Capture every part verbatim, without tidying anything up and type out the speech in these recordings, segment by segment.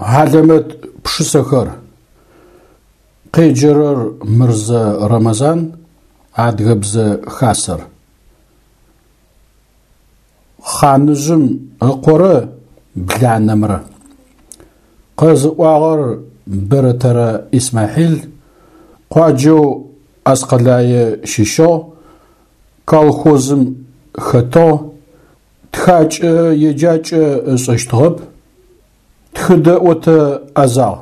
Хьалэмэт пшысэхэр. Къеджэрэр Мырзэ Рэмэзан, Адыгэбзэ Хасэр. Хъаныжъым ыкъорэ бланэмрэ. Къэзыӏуагъэр Бэрэтэрэ Исмахьил, къуаджэу Аскъэлае щыщыгъ, колхозым хэтыгъ, тхакӏэ еджакӏэ ышӏэщтыгъэп, тхыдэӏотэ ӏэзагъ.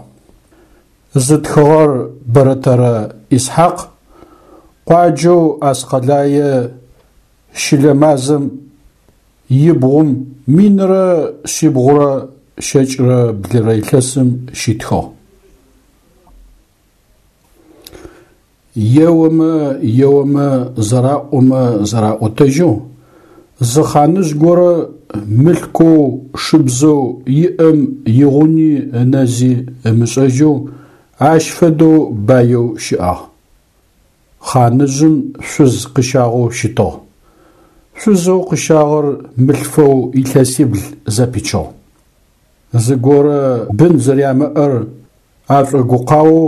Зытхыгъэр Бэрэтэрэ Исхьакъ, къуаджэу Аскъэлае щылэ мазэм ибгъум минрэ шъибгъурэ щэкӏрэ блырэ илъэсым щитхыгъ. Еомэ, еомэ, зэраӏомэ зэраӏотэжьэу, зы хъаныжъ горэ мылъкоу, шыбзэу иӏэм игъуни ынэзи ымышӏэжьэу ащ фэдэу баеу щыӏагъ. Хъаныжъым шъуз къыщагъэу щытыгъ. Шъузэу къыщагъэр мылъфэу илъэсибл зэпичыгъ. Зыгорэ бын зэрямыӏэр ашӏогукъаоу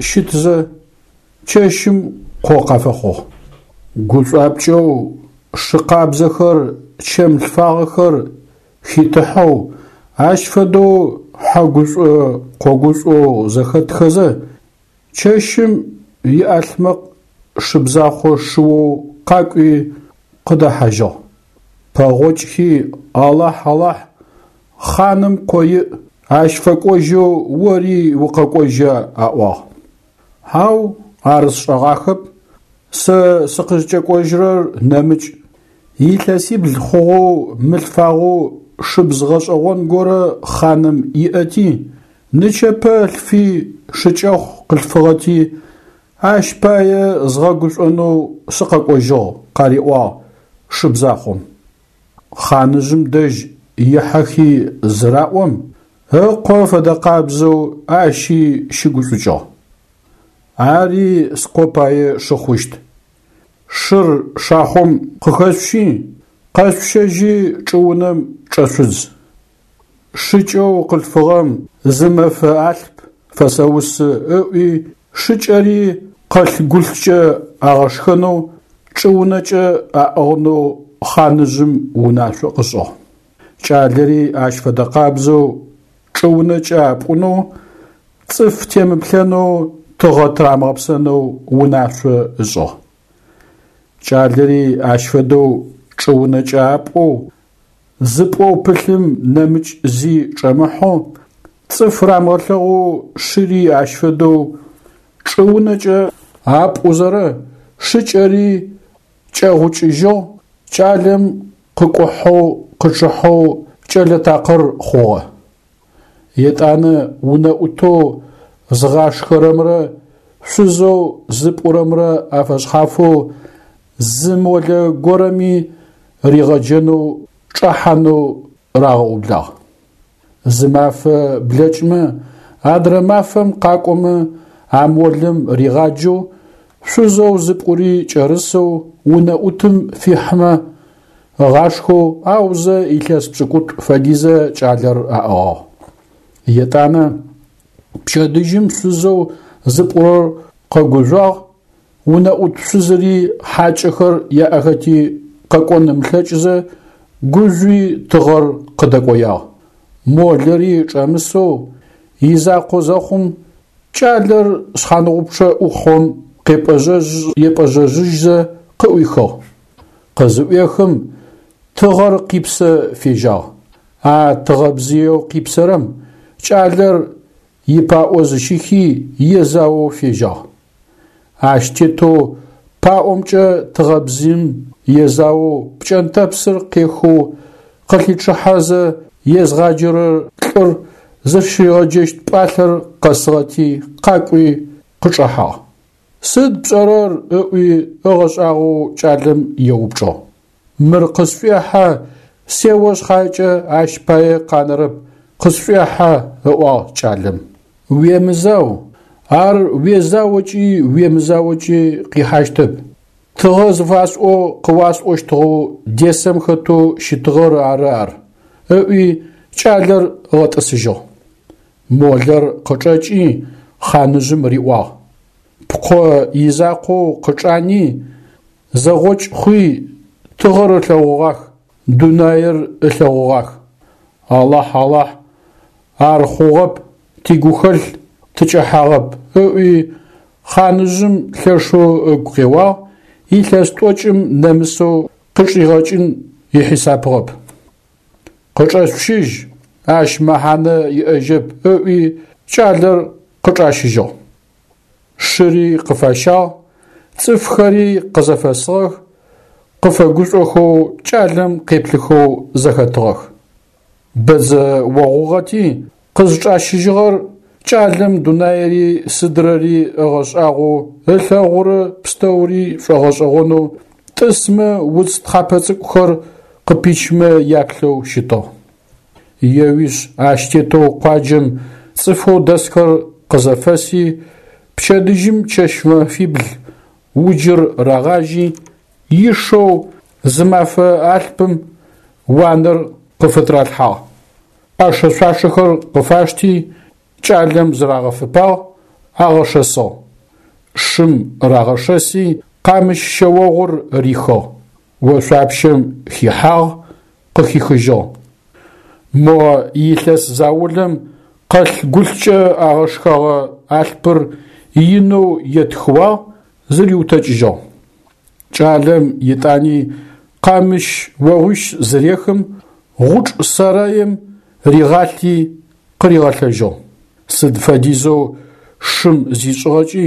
щытзэ, чэщым къо къафэхъугъ. Гушӏуапкӏэу шы къабзэхэр, чэм лъфагъэхэр хитыхьэу, ащ фэдэу хьэгушӏо-къогушӏоу зэхэтхэзэ, чэщым иӏалъмэкъ шыбзахъо шыоу къакӏуи къыдэхьажьыгъ. Пэгъокӏхи, Алахь, Алахь, хъаным къо иӏ, ащ фэкӏожьэу ори укъэкӏожьа, аӏуагъ. Хьау, ар сшӏэгъахэп, сэ сыкъызкӏэкӏожьырэр нэмыкӏ. Илъэсибл хъугъэу мылъфагъэу шыбз гъэшӏэгъон горэ хъаным иӏэти, нычэпэ лъфи шыкӏэхъу къылъфыгъэти, ащ пае згъэгушӏонэу сыкъэкӏожьыгъ, къариӏуагъ шыбзахъом. Хъаныжъым дэжь ихьэхи зыраӏом, ыкъо фэдэкъабзэу ащи щыгушӏукӏыгъ. Ари скъо пае шы хъущт. Шыр шахъом къыхэшъущи, къэшъущэжьи чӏыунэм чӏэшъудз. Шыкӏэу къылъфыгъэм зы мэфэ алъп фэсэусы ыӏуи шыкӏэри къэлъ-гулъкӏэ агъэшхэнэу, чӏыунэкӏэ аӏыгъынэу хъаныжъым унашъо къышӏыгъ. Кӏалэри ащ фэдэкъабзэу чӏыунэкӏэ апӏунэу, цӏыф темыплъэнэу, тыгъэ тырамыгъэпсэнэу унашъо ышӏыгъ. Кӏалэри ащ фэдэу чӏыунэкӏэ апӏоу, зыпӏоу пылъым нэмыкӏ зи чӏэмыхьэу, цӏыф рамыгъэлъэгъоу шыри ащ фэдэу чӏыунэкӏэ апӏузэрэ шыкӏэри кӏэгъукӏыжьыгъ, кӏалэм къыкӏухьэу къычъыхьэу кӏэлэ такъыр хъугъэ. Етӏанэ унэӏутэу зыгъашхэрэмрэ шъузэу зыпӏурэмрэ афэшъхьафэу зы молэ горэми ригъэджэнэу чӏэхьанэу рагъэублагъ. Зы мафэ блэкӏмэ, адрэ мафэм къакӏомэ а молэм ригъаджэу, шъузэу зыпӏури кӏэрысэу унэӏутым фихьымэ ыгъашхэу, аузэ илъэс пшӏыкӏутӏу фэдизэ кӏалэр аӏыгъыгъ. Етӏанэ пчэдыжьым шъузэу зыпӏурэр къэгужъуагъ, унэӏут шъузыри хьакӏэхэр яӏэхэти къэкӏон ымылъэкӏызэ, гужъуи тыгъэр къыдэкӏоягъ. Молэри чӏэмысэу изакъо зэхъум, кӏалэр шъхьаныгъупчъэ ӏухъом къепӏэжъэжъ-епӏэжъэжъыжьзэ къыӏуихыгъ. Къызыӏуехым тыгъэр къипсэ фежьагъ. А тыгъэбзыеу къипсэрэм кӏалэр ипаӏо зыщихи езаоу фежьагъ. Ащ тетэу паӏомкӏэ тыгъэбзыим езаоу пкӏэнтӏэпсыр къехэу къылъичъыхьэзэ езгъаджэрэ лӏыр зыщыригъэджэщт пӏалъэр къэсыгъэти къакӏуи къычӏэхьагъ. Сыд пшӏэрэр ыӏуи ыгъэшӏагъоу кӏалэм еупчӏыгъ. Мыр къысшӏуехьэ, сео шъхьакӏэ ащ пае къанэрэп, къысшӏуехьэ, ыӏуагъ кӏалэм. Уемызау, ар уезаокӏи уемызаокӏи къихьащтэп. Тыгъэ зыфасӏоу къыуасӏощтыгъэу десэм хэтэу щытыгъэр ары ар, ыӏуи кӏалэр ыгъэтӏысыжьыгъ. Молэр къычӏэкӏи хъаныжъым риӏуагъ: Пкъо изакъоу къычӏани, зэгъокӏ хъуи, тыгъэр ылъэгъугъах, дунаир ылъэгъугъах. Алахь, Алахь, ар хъугъэп, тигухэлъ тыкӏэхьагъэп, ыӏуи хъаныжъым лъэшэу ыгу къеуагъ, илъэс тӏокӏым нэмысэу къычӏигъэкӏын ихьисапыгъэп. Къычӏэшъущыжь, ащ мэхьанэ иӏэжьэп, ыӏуи кӏалэр къычӏащыжьыгъ. Шыри къыфащагъ, цӏыфхэри къызэфэсыгъэх, къыфэгушӏохэу кӏалэм къеплъыхэу зэхэтыгъэх. Бэдзэ огъугъэти, къызчӏащыжьыгъэр кӏалэм дунаири сыдрэри ыгъэшӏагъоу, ылъэгъурэ пстэури шӏогъэшӏэгъонэу, тӏысмэ уц тхьапэ цӏыкӏухэр къыпичмэ яплъэу щытыгъ. Еуишъ ащ тетэу къуаджэм цӏыфэу дэсхэр къызэфэси, пчэдыжьым чэщ-мэфибл уджыр рагъажьи, ишэу зы мафэ алъпым уанэр къыфытралъхьагъ. ӏэшэ-шъуашэхэр къыфашти, кӏалэм зырагъэфэпагъ, агъэшэсыгъ. Шым рагъэшэси, къамыщ шъэогъур рихыгъ, ошъуапщэм хихьагъ, къыхихыжьыгъ. Мо илъэс заулэм къэлъ-гулъкӏэ агъэшхэгъэ алъпыр инэу етхыуагъ, зыриутэкӏыжьыгъ. Кӏалэм етӏани къамыщ огъуищ зырехым, гъучӏ сэрэим ригъалъи къыригъэлъэжьыгъ. Сыд фэдизэу шым зишӏыгъэкӏи,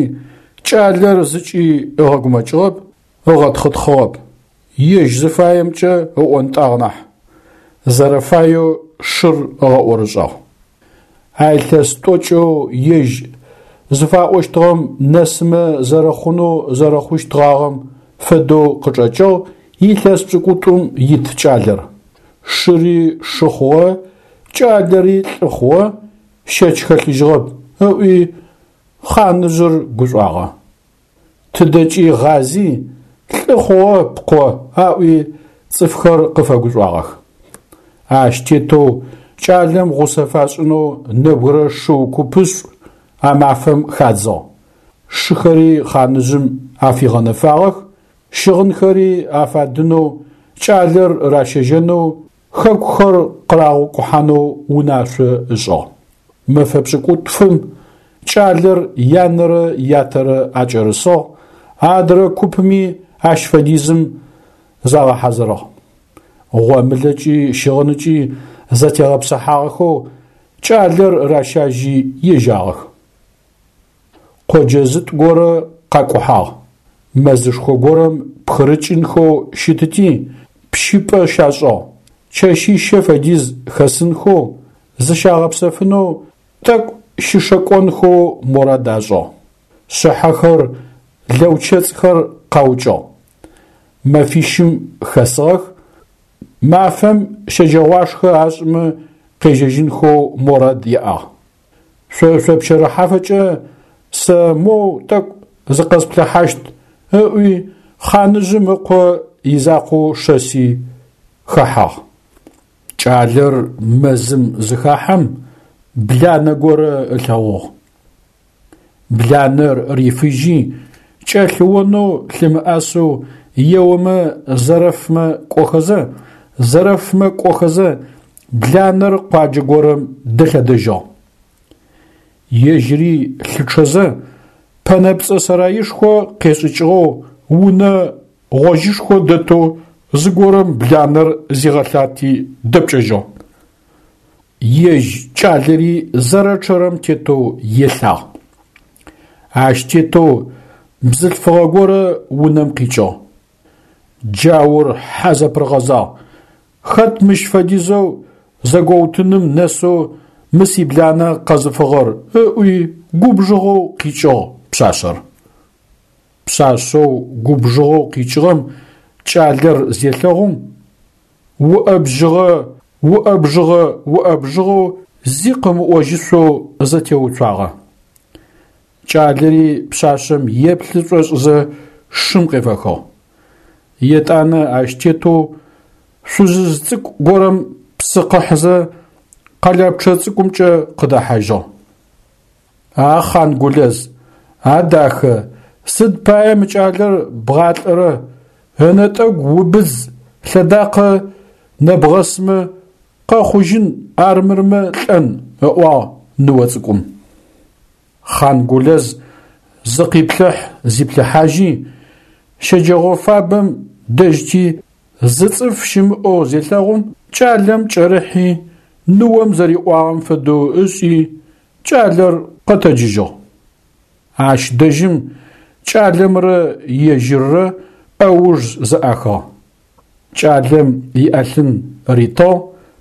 кӏалэр зыкӏи ыгъэгумэкӏыгъэп, ыгъэтхъытхъыгъэп, ежь зыфаемкӏэ ыӏонтӏагъ нахь, зэрэфаеу шыр ыгъэӏорышӏагъ. А илъэс тӏокӏэу ежь зыфаӏощтыгъэм нэсымэ зэрэхъунэу зэрэхъущтгъагъэм фэдэу къычӏэкӏыгъ илъэс пшӏыкӏутӏум ит кӏалэр. Шыри шы хъугъэ, кӏалэри лӏы хъугъэ, щэч хэлъыжьыгъэп, ыӏуи хъаныжъыр гушӏуагъэ. Тыдэкӏи гъази, лӏы хъугъэ пкъо аӏуи цӏыфхэр къыфэгушӏуагъэх. Ащ тетэу кӏалэм гъусэ фашӏынэу нэбгырэ шыу купышӏу а мафэм хадзыгъ. Шыхэри хъаныжъым афигъэнэфагъэх, щыгъынхэри афадынэу, кӏалэр ращэжьэнэу, хэкухэр къырагъэкӏухьанэу унашъо ышӏыгъ. Мэфэ пшӏыкӏутфым кӏалэр янэрэ ятэрэ акӏэрысыгъ, адрэ купми ащ фэдизым загъэхьазырыгъ. Гъомылэкӏи щыгъынкӏи зэтегъэпсыхьагъэхэу кӏалэр ращажьи ежьагъэх. Къоджэ зытӏу горэ къакӏухьагъ. Мэзышхо горэм пхырыкӏынхэу щытыти, пщыпӏэ щашӏыгъ. Чэщищэ фэдиз хэсынхэу, зыщагъэпсэфынэу, тӏэкӏу щышэкӏонхэу мурад ашӏыгъ. Шъыхьэхэр, лэучэцӏхэр къаукӏыгъ. Мэфищым хэсыгъэх, мафэм щэджэгъуашхэ ашӏымэ къежьэжьынхэу мурад яӏагъ. Шъо шъопщэрыхьафэкӏэ сэ моу тӏэкӏу зыкъэсплъыхьащт, ыӏуи хъаныжъым ыкъо изакъоу шэси хэхьагъ. Кӏалэр мэзым зыхахьэм бланэ горэ ылъэгъугъ. Бланэр рифыжьи, кӏэлъыонэу лъымыӏэсэу еомэ зэрэфмэ кӏохэзэ, зэрэфмэ кӏохэзэ, бланэр къуаджэ горэм дэлъэдэжьыгъ. Ежьыри лъычъэзэ, пэнэпцӏэ сэраишхо къешӏыкӏыгъэу унэ гъожьышхо дэтэу зыгорэм бланэр зигъэлъати дэпкӏэжьыгъ. Ежь кӏалэри зэрэчъэрэм тетэу елъагъ. Ащ тетэу бзылъфыгъэ горэ унэм къикӏыгъ. Джаур хьэ зэпырыгъэзагъ, хэт мыщ фэдизэу зэгоутыным нэсэу мы сибланэ къэзыфыгъэр, ыӏуи губжыгъэу къикӏыгъ пшъашъэр. Пшъашъэу губжыгъэу къикӏыгъэм кӏалэр зелъэгъум, уӏэбжьыгъэ уӏэбжьыгъэ уӏэбжьыгъэу зи къымыӏожьышъоу зэтеуцуагъэ. Кӏалэри пшъашъэм еплъы шӏошӏызэ шым къефэхыгъ. Етӏанэ ащ тетэу шъузыжъ цӏыкӏу горэм псы къыхьызэ къэлэпчъэ цӏыкӏумкӏэ къыдэхьажьыгъ. А Хъангулэз, а дахэ, сыд пае мы кӏалэр бгъалӏэрэ, ынэтӏэгу убыз лъэдакъэ нэбгъэсмэ, къэхъужьын, армырмэ лӏэн, – ыӏуагъ ныо цӏыкӏум. Хъангулэз зыкъиплъыхь-зиплъыхьажьи, щэджэгъо фабэм дэжьти зы цӏыф щымыӏэу зелъэгъум, кӏалэм кӏэрыхьи, ныом зэриӏуагъэм фэдэу ышӏи, кӏалэр къэтэджыжьыгъ. Ащ дэжьым кӏалэмрэ ежьыррэ ӏэуж зэӏахыгъ. Кӏалэм иӏэлъын ритыгъ,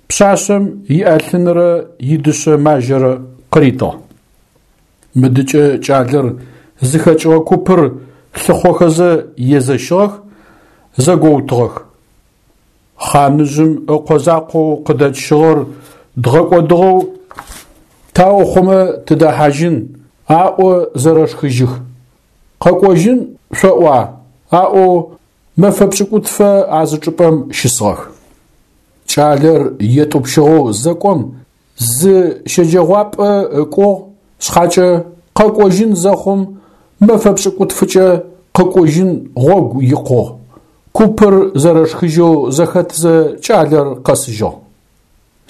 пшъашъэм иӏэлъынрэ идышъэ мажьэрэ къыритыгъ. Мыдыкӏэ кӏалэр зыхэкӏыгъэ купыр лъыхъохэзэ езэщыгъэх, зэгоутыгъэх. Хъаныжъым ыкъо закъоу къыдэтщыгъэр дгъэкӏодыгъэу таухъумэ тыдэхьажьын, аӏо зэрэшхыжьых. Къэкӏожьын шъоӏуа? Аӏоу мэфэ пшӏыкӏутфэ а зы чӏыпӏэм щысыгъэх. Кӏалэр етӏупщыгъэу зэкӏом зы щэджэгъуапӏэ ыкӏугъ шъхьакӏэ, къэкӏожьын зэхъум мэфэ пшӏыкӏутфыкӏэ къыкӏужьын гъогу икъугъ. Купыр зэрэшхыжьэу зэхэтзэ кӏалэр къэсыжьыгъ.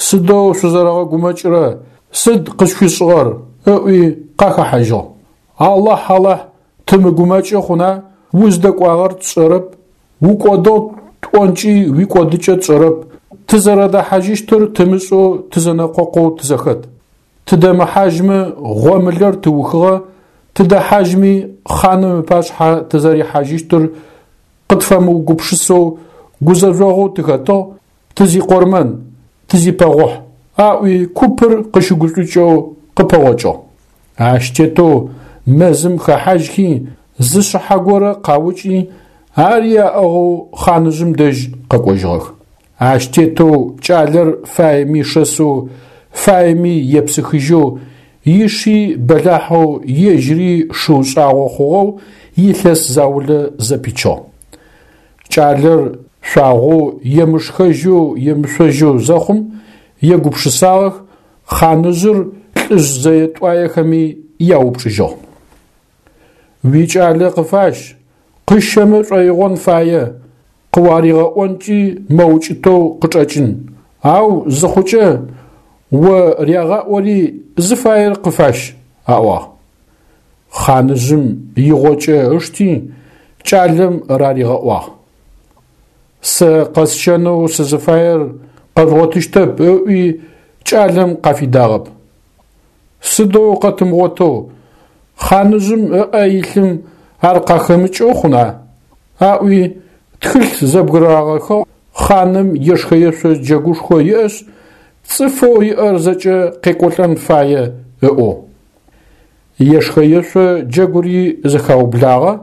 Сыдэу шъузэрэгъэгумэкӏырэ, сыд къышъущышӏыгъэр? Ыӏуи къахэхьажьыгъ. Алахь, Алахь, тымыгумэкӏы хъуна, уздэкӏуагъэр тшӏэрэп, укӏодыгъ тӏонкӏи уикӏодыкӏэ тшӏэрэп, тызэрэдэхьажьыщтыр тымышӏэу тызэнэкъокъоу тызэхэт. Тыдэмыхьажьмэ гъомылэр тыухыгъэ, тыдэхьажьми хъаным ыпашъхьэ тызэрихьажьыщтыр къытфэмыугупшысэу гузэжъогъу тыхэтыгъ, тызикъормэн, тызипэгъохь, аӏуи купыр къыщыгушӏукӏэу къыпэгъокӏыгъ. Ащ тетэу мэзым хэхьажьхи зы шъыхьэ горэ къаукӏи, ари аӏыгъэу хъаныжъым дэжь къэкӏожьыгъэх. Ащ тетэу кӏалэр фаеми шэсэу, фаеми епсыхыжьэу, иши бэлахьэу, ежьыри шыу шӏагъо хъугъэу илъэс заулэ зэпичыгъ. Кӏалэр шъуагъоу, емышхэжьэу, емышъожьэу зэхъум, егупшысагъэх, хъаныжъыр лӏыжъ зэе-тӏуаехэми яупчӏыжьыгъ. Уикӏалэ къыфащ, къыщэмэ шӏоигъон фае, къыуаригъэӏонкӏи мэукӏытэу къычӏэкӏын, ау зыхъукӏэ о рягъаӏори зыфаер къыфащ, аӏуагъ. Хъаныжъым игъокӏэ ышти, кӏалэм раригъэӏуагъ. Сэ къэсщэнэу сызыфаер къэжъугъотыщтэп, ыӏуи кӏалэм къафидагъэп. Сыдэу къэтымыгъотэу, хъаныжъым ыӏэ илъым ар къахэмыкӏэу хъуна? Аӏуи тхылъ зэбгырагъэхыгъ, хъаным ешхэ-ешъо джэгушхо иӏэшъ, цӏыфэу иӏэр зэкӏэ къекӏолӏэн фае ыӏоу. Ешхэ-ешъо джэгури зэхаублагъэ,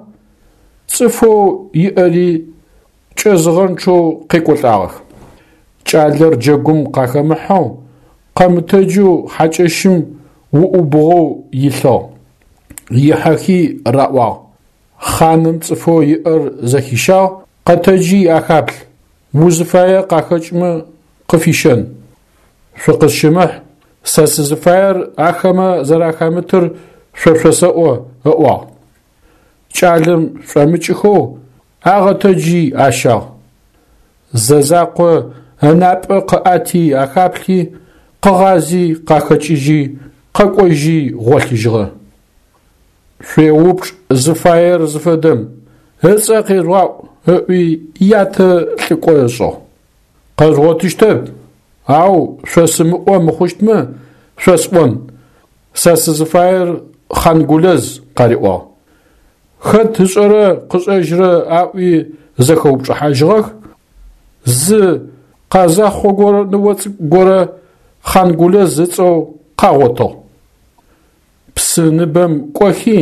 цӏыфэу иӏэри кӏэзыгъэнчъэу къекӏолӏагъэх. Кӏалэр джэгум къахэмыхьэу, къэмытэджэу хьакӏэщым уӏубгъэу илъыгъ. Ихьэхи раӏуагъ: Хъаным цӏыфэу иӏэр зэхищагъ, къэтэджи ахаплъ, узыфае къахэкӏмэ къыфищэн. Шъукъысщымыхь, сэ сызыфаер ахэмэ зэрахэмытыр шъо шъосэӏо, ыӏуагъ. Кӏалэм шӏомыкӏыхэу агъэтэджи ащагъ. Зэ закъо ынапӏэ къыӏэти ахаплъи, къыгъази къахэкӏыжьи, къэкӏожьи гъолъыжьыгъэ. Шъуеупчӏ зыфаер зыфэдэм, ыцӏэ къежъугъаӏу, ыӏуи ятэ лӏыкӏо ышӏыгъ. Къэжъугъотыщтэп, ау шъосымыӏо мыхъущтмэ, шъосӏон: сэ сызыфаер Хъангулэз, къариӏуагъ. Хэт ышӏэрэ къышӏэжьрэ аӏуи зэхэупчӏыхьажьыгъэх, зы къазэхъо горэ ныо цӏыкӏу горэ Хъангулэз ыцӏэу къагъотыгъ. Псы ныбэм кӏохи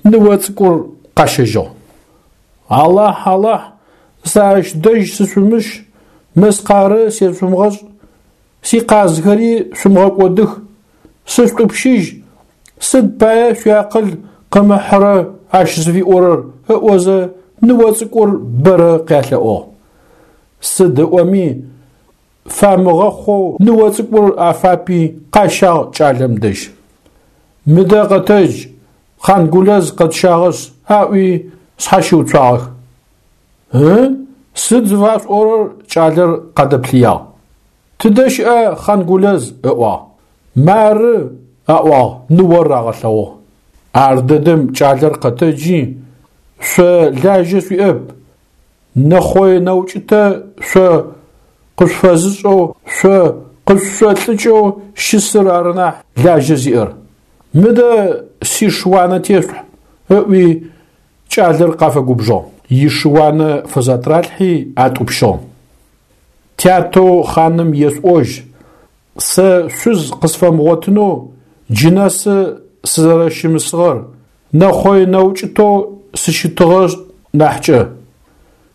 ныо цӏыкӏур къащэжьыгъ. Алахь, Алахь, сэ ащ дэжь сышъумыщ, мыскъарэ сешъумыгъэшӏ, сикъазхэри шъумыгъэкӏодых, сышъутӏупщыжь, сыд пае шъуиакъыл къымыхьырэ ащ зыфиӏорэр ыӏозэ ныо цӏыкӏур бэрэ къялъэӏугъ. Сыд ыӏоми фамыгъэхъоу ныо цӏыкӏур афапи къащагъ кӏалэм дэжь. Мыдэ къэтэдж, Хъангулэз къэтщагъэшъ, аӏуи шъхьащыуцуагъэх. Ы? Сыд зыфашъуӏорэр? Кӏалэр къадэплъыягъ. Тыдэ щыӏа Хъангулэз? Ыӏуагъ. Мары, аӏуагъ, ныор рагъэлъэгъугъ. Ар дэдэм кӏалэр къэтэджи, шъо лажьэ шъуиӏэп, нэхъое нэукӏытэ шъо къышъуфэзышӏэу, шъо къышъушӏолӏыкӏэу щысыр ары нахь лажьэ зиӏэр. Мыдэ сиш уанэ тешъулъхь, ыӏуи кӏалэр къафэгубжыгъ. Иш уанэ фызэтралъхьи атӏупщыгъ. Тятэу хъаным ешъуӏожь, сэ шъуз къысфэмыгъотынэу джы нэсы сызэрэщымысыгъэр, нэхъое нэукӏытэу сыщытыгъэ нахькӏэ.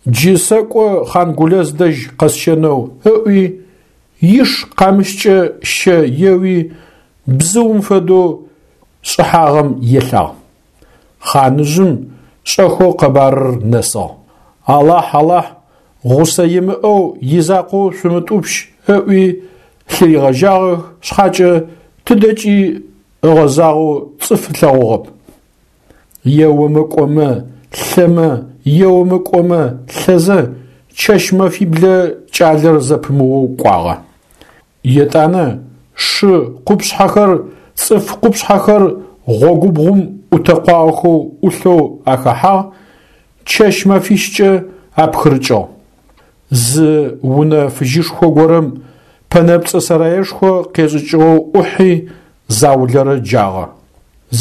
Джы сэкӏо Хъангулэз дэжь къэсщэнэу, ыӏуи, иш къамыщкӏэ щэ еуи, бзыум фэдэу шӏыхьагъэм елъагъ. Хъаныжъым шӏэхэу къэбарыр нэсыгъ. Алахь, Алахь, гъусэ имыӏэу изакъоу шъумытӏупщ, ыӏуи лъыригъэжьагъэх шъхьакӏэ тыдэкӏи ыгъэзагъэу цӏыф ылъэгъугъэп. Еомэ кӏомэ, лъэмэ, еомэ кӏомэ, лъэзэ чэщ-мэфиблэ кӏалэр зэпымыоу кӏуагъэ. Етӏанэ шы къупшъхьэхэр, цӏыф къупшъхьэхэр гъогубгъум ӏутэкъуагъэхэу ӏулъэу ахэхьагъ, чэщ-мэфищкӏэ апхырыкӏыгъ. Зы унэ фыжьышхо горэм пэнэпцӏэ сэраешхо къешӏыкӏыгъэу ӏухьи заулэрэ джагъэ.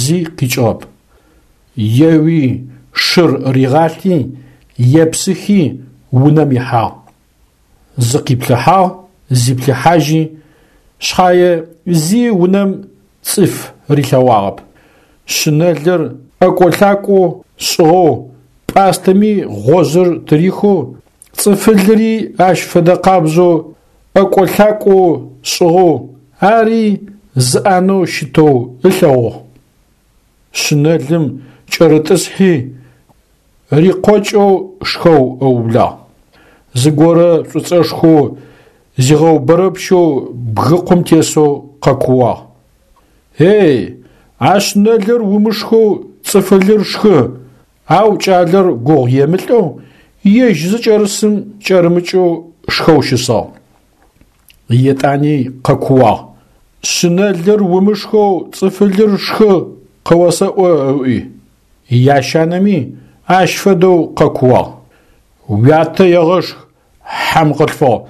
Зи къикӏыгъэп. Еуи шыр ригъалъи, епсыхи унэм ихьагъ. Зыкъиплъыхьагъ, зиплъыхьажьи, шъхьае зи унэм цӏыф рилъэгъуагъэп. Шъынэлыр ӏэкӏо-лъакӏоу шӏыгъэу, пӏастэми гъожьыр тырихэу, цӏыфылри ащ фэдэ къабзэу ӏэкӏо-лъакӏоу шӏыгъэу, ари зы ӏанэу щытэу ылъэгъугъ. Шъынэлым кӏэрытӏысхьи, рикъокӏэу шхэу ыублагъ. Зыгорэ шӏуцӏэшхоу зигъэубэрэпщэу бгыкъум тесэу къэкууагъ. Эй, а шъынэлыр умышхэу цӏыфылыр шхы, ау кӏалэр гугъу емылӏэу, ежь зыкӏэрысым кӏэрымыкӏэу шхэу щысыгъ. Етӏани къэкууагъ. Шъынэлыр умышхэу цӏыфылыр шхы къыосэӏо ыӏуи. Ящанэми ащ фэдэу къэкууагъ. Уятэ егъэшх, хьэм къылъфыгъ,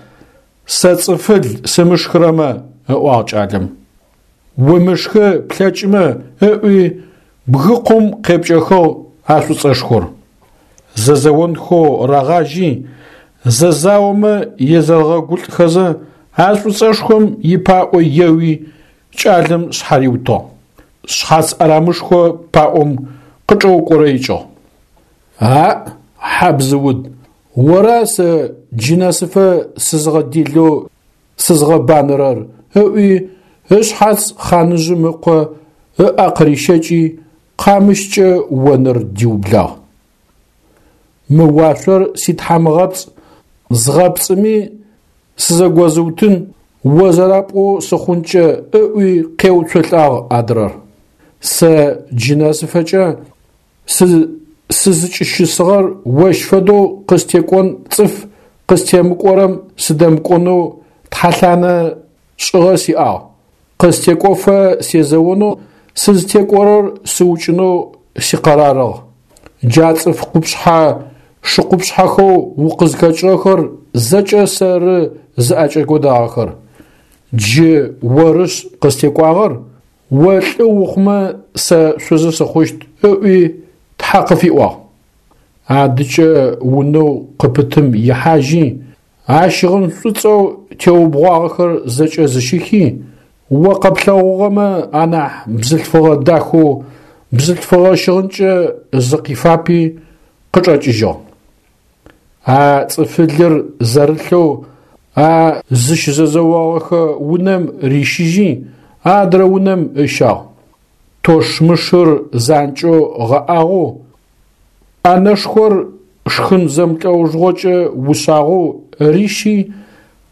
сэ цӏыфыл сымышхырэмэ, ыӏуагъ кӏалэм. Умышхы плъэкӏымэ, ыӏуи бгыкъум къепкӏэхыгъ а шӏуцӏэшхор. Зэзэонхэу рагъажьи, зэзаомэ езэрэгъэгулӏхэзэ, а шӏуцӏэшхом ипаӏо еуи кӏалэм шъхьариутыгъ. Шъхьац ӏэрамышхо паӏом къычӏэукӏорэикӏыгъ. Аӏ, хьабзыуд, ора сэ джы нэсыфэ сызгъэделэу сызгъэбанэрэр, ыӏуи ышъхьац хъаныжъым ыкъо ыӏэ къырищэкӏи, къамыщкӏэ онэр диублагъ. Мы уашъор ситхьамыгъэпцӏ, згъэпцӏыми сызэгозыутын, о зэрапӏоу сыхъункӏэ, ыӏуи къеуцолӏагъ адрэр. Сэ джы нэсыфэкӏэ сызыкӏыщысыгъэр ощ фэдэу къыстекӏон цӏыф къыстемыкӏорэм сыдэмыкӏонэу тхьэлъанэ шӏыгъэ сиӏагъ. Къыстекӏофэ сезэонэу, сызтекӏорэр сыукӏынэу сикъэрарыгъ. Джа цӏыф къупшъхьэ шыкъупшъхьэхэу укъызхэкӏыгъэхэр зэкӏэ сэры зыӏэкӏэкӏодагъэхэр. Джы орышъ къыстекӏуагъэр, о лӏы ухъумэ сэ шъузы сыхъущт, ыӏуи тхьэ къыфиӏуагъ. Адыкӏэ унэу къыпытым ихьажьи, а щыгъын шӏуцӏэу теубгъуагъэхэр зэкӏэ зыщихи, о къэплъэгъугъэмэ анахь бзылъфыгъэ дахэу бзылъфыгъэ щыгъынкӏэ зыкъифапи къычӏэкӏыжьыгъ. А цӏыфылыр зэрылъэу а зыщызэзэогъэхэ унэм рищыжьи, адрэ унэм ыщагъ. Тощмышыр занкӏэу гъэӏагъэу, ӏэнэшхор шхын зэмлӏэужыгъокӏэ ушъагъэу рищи,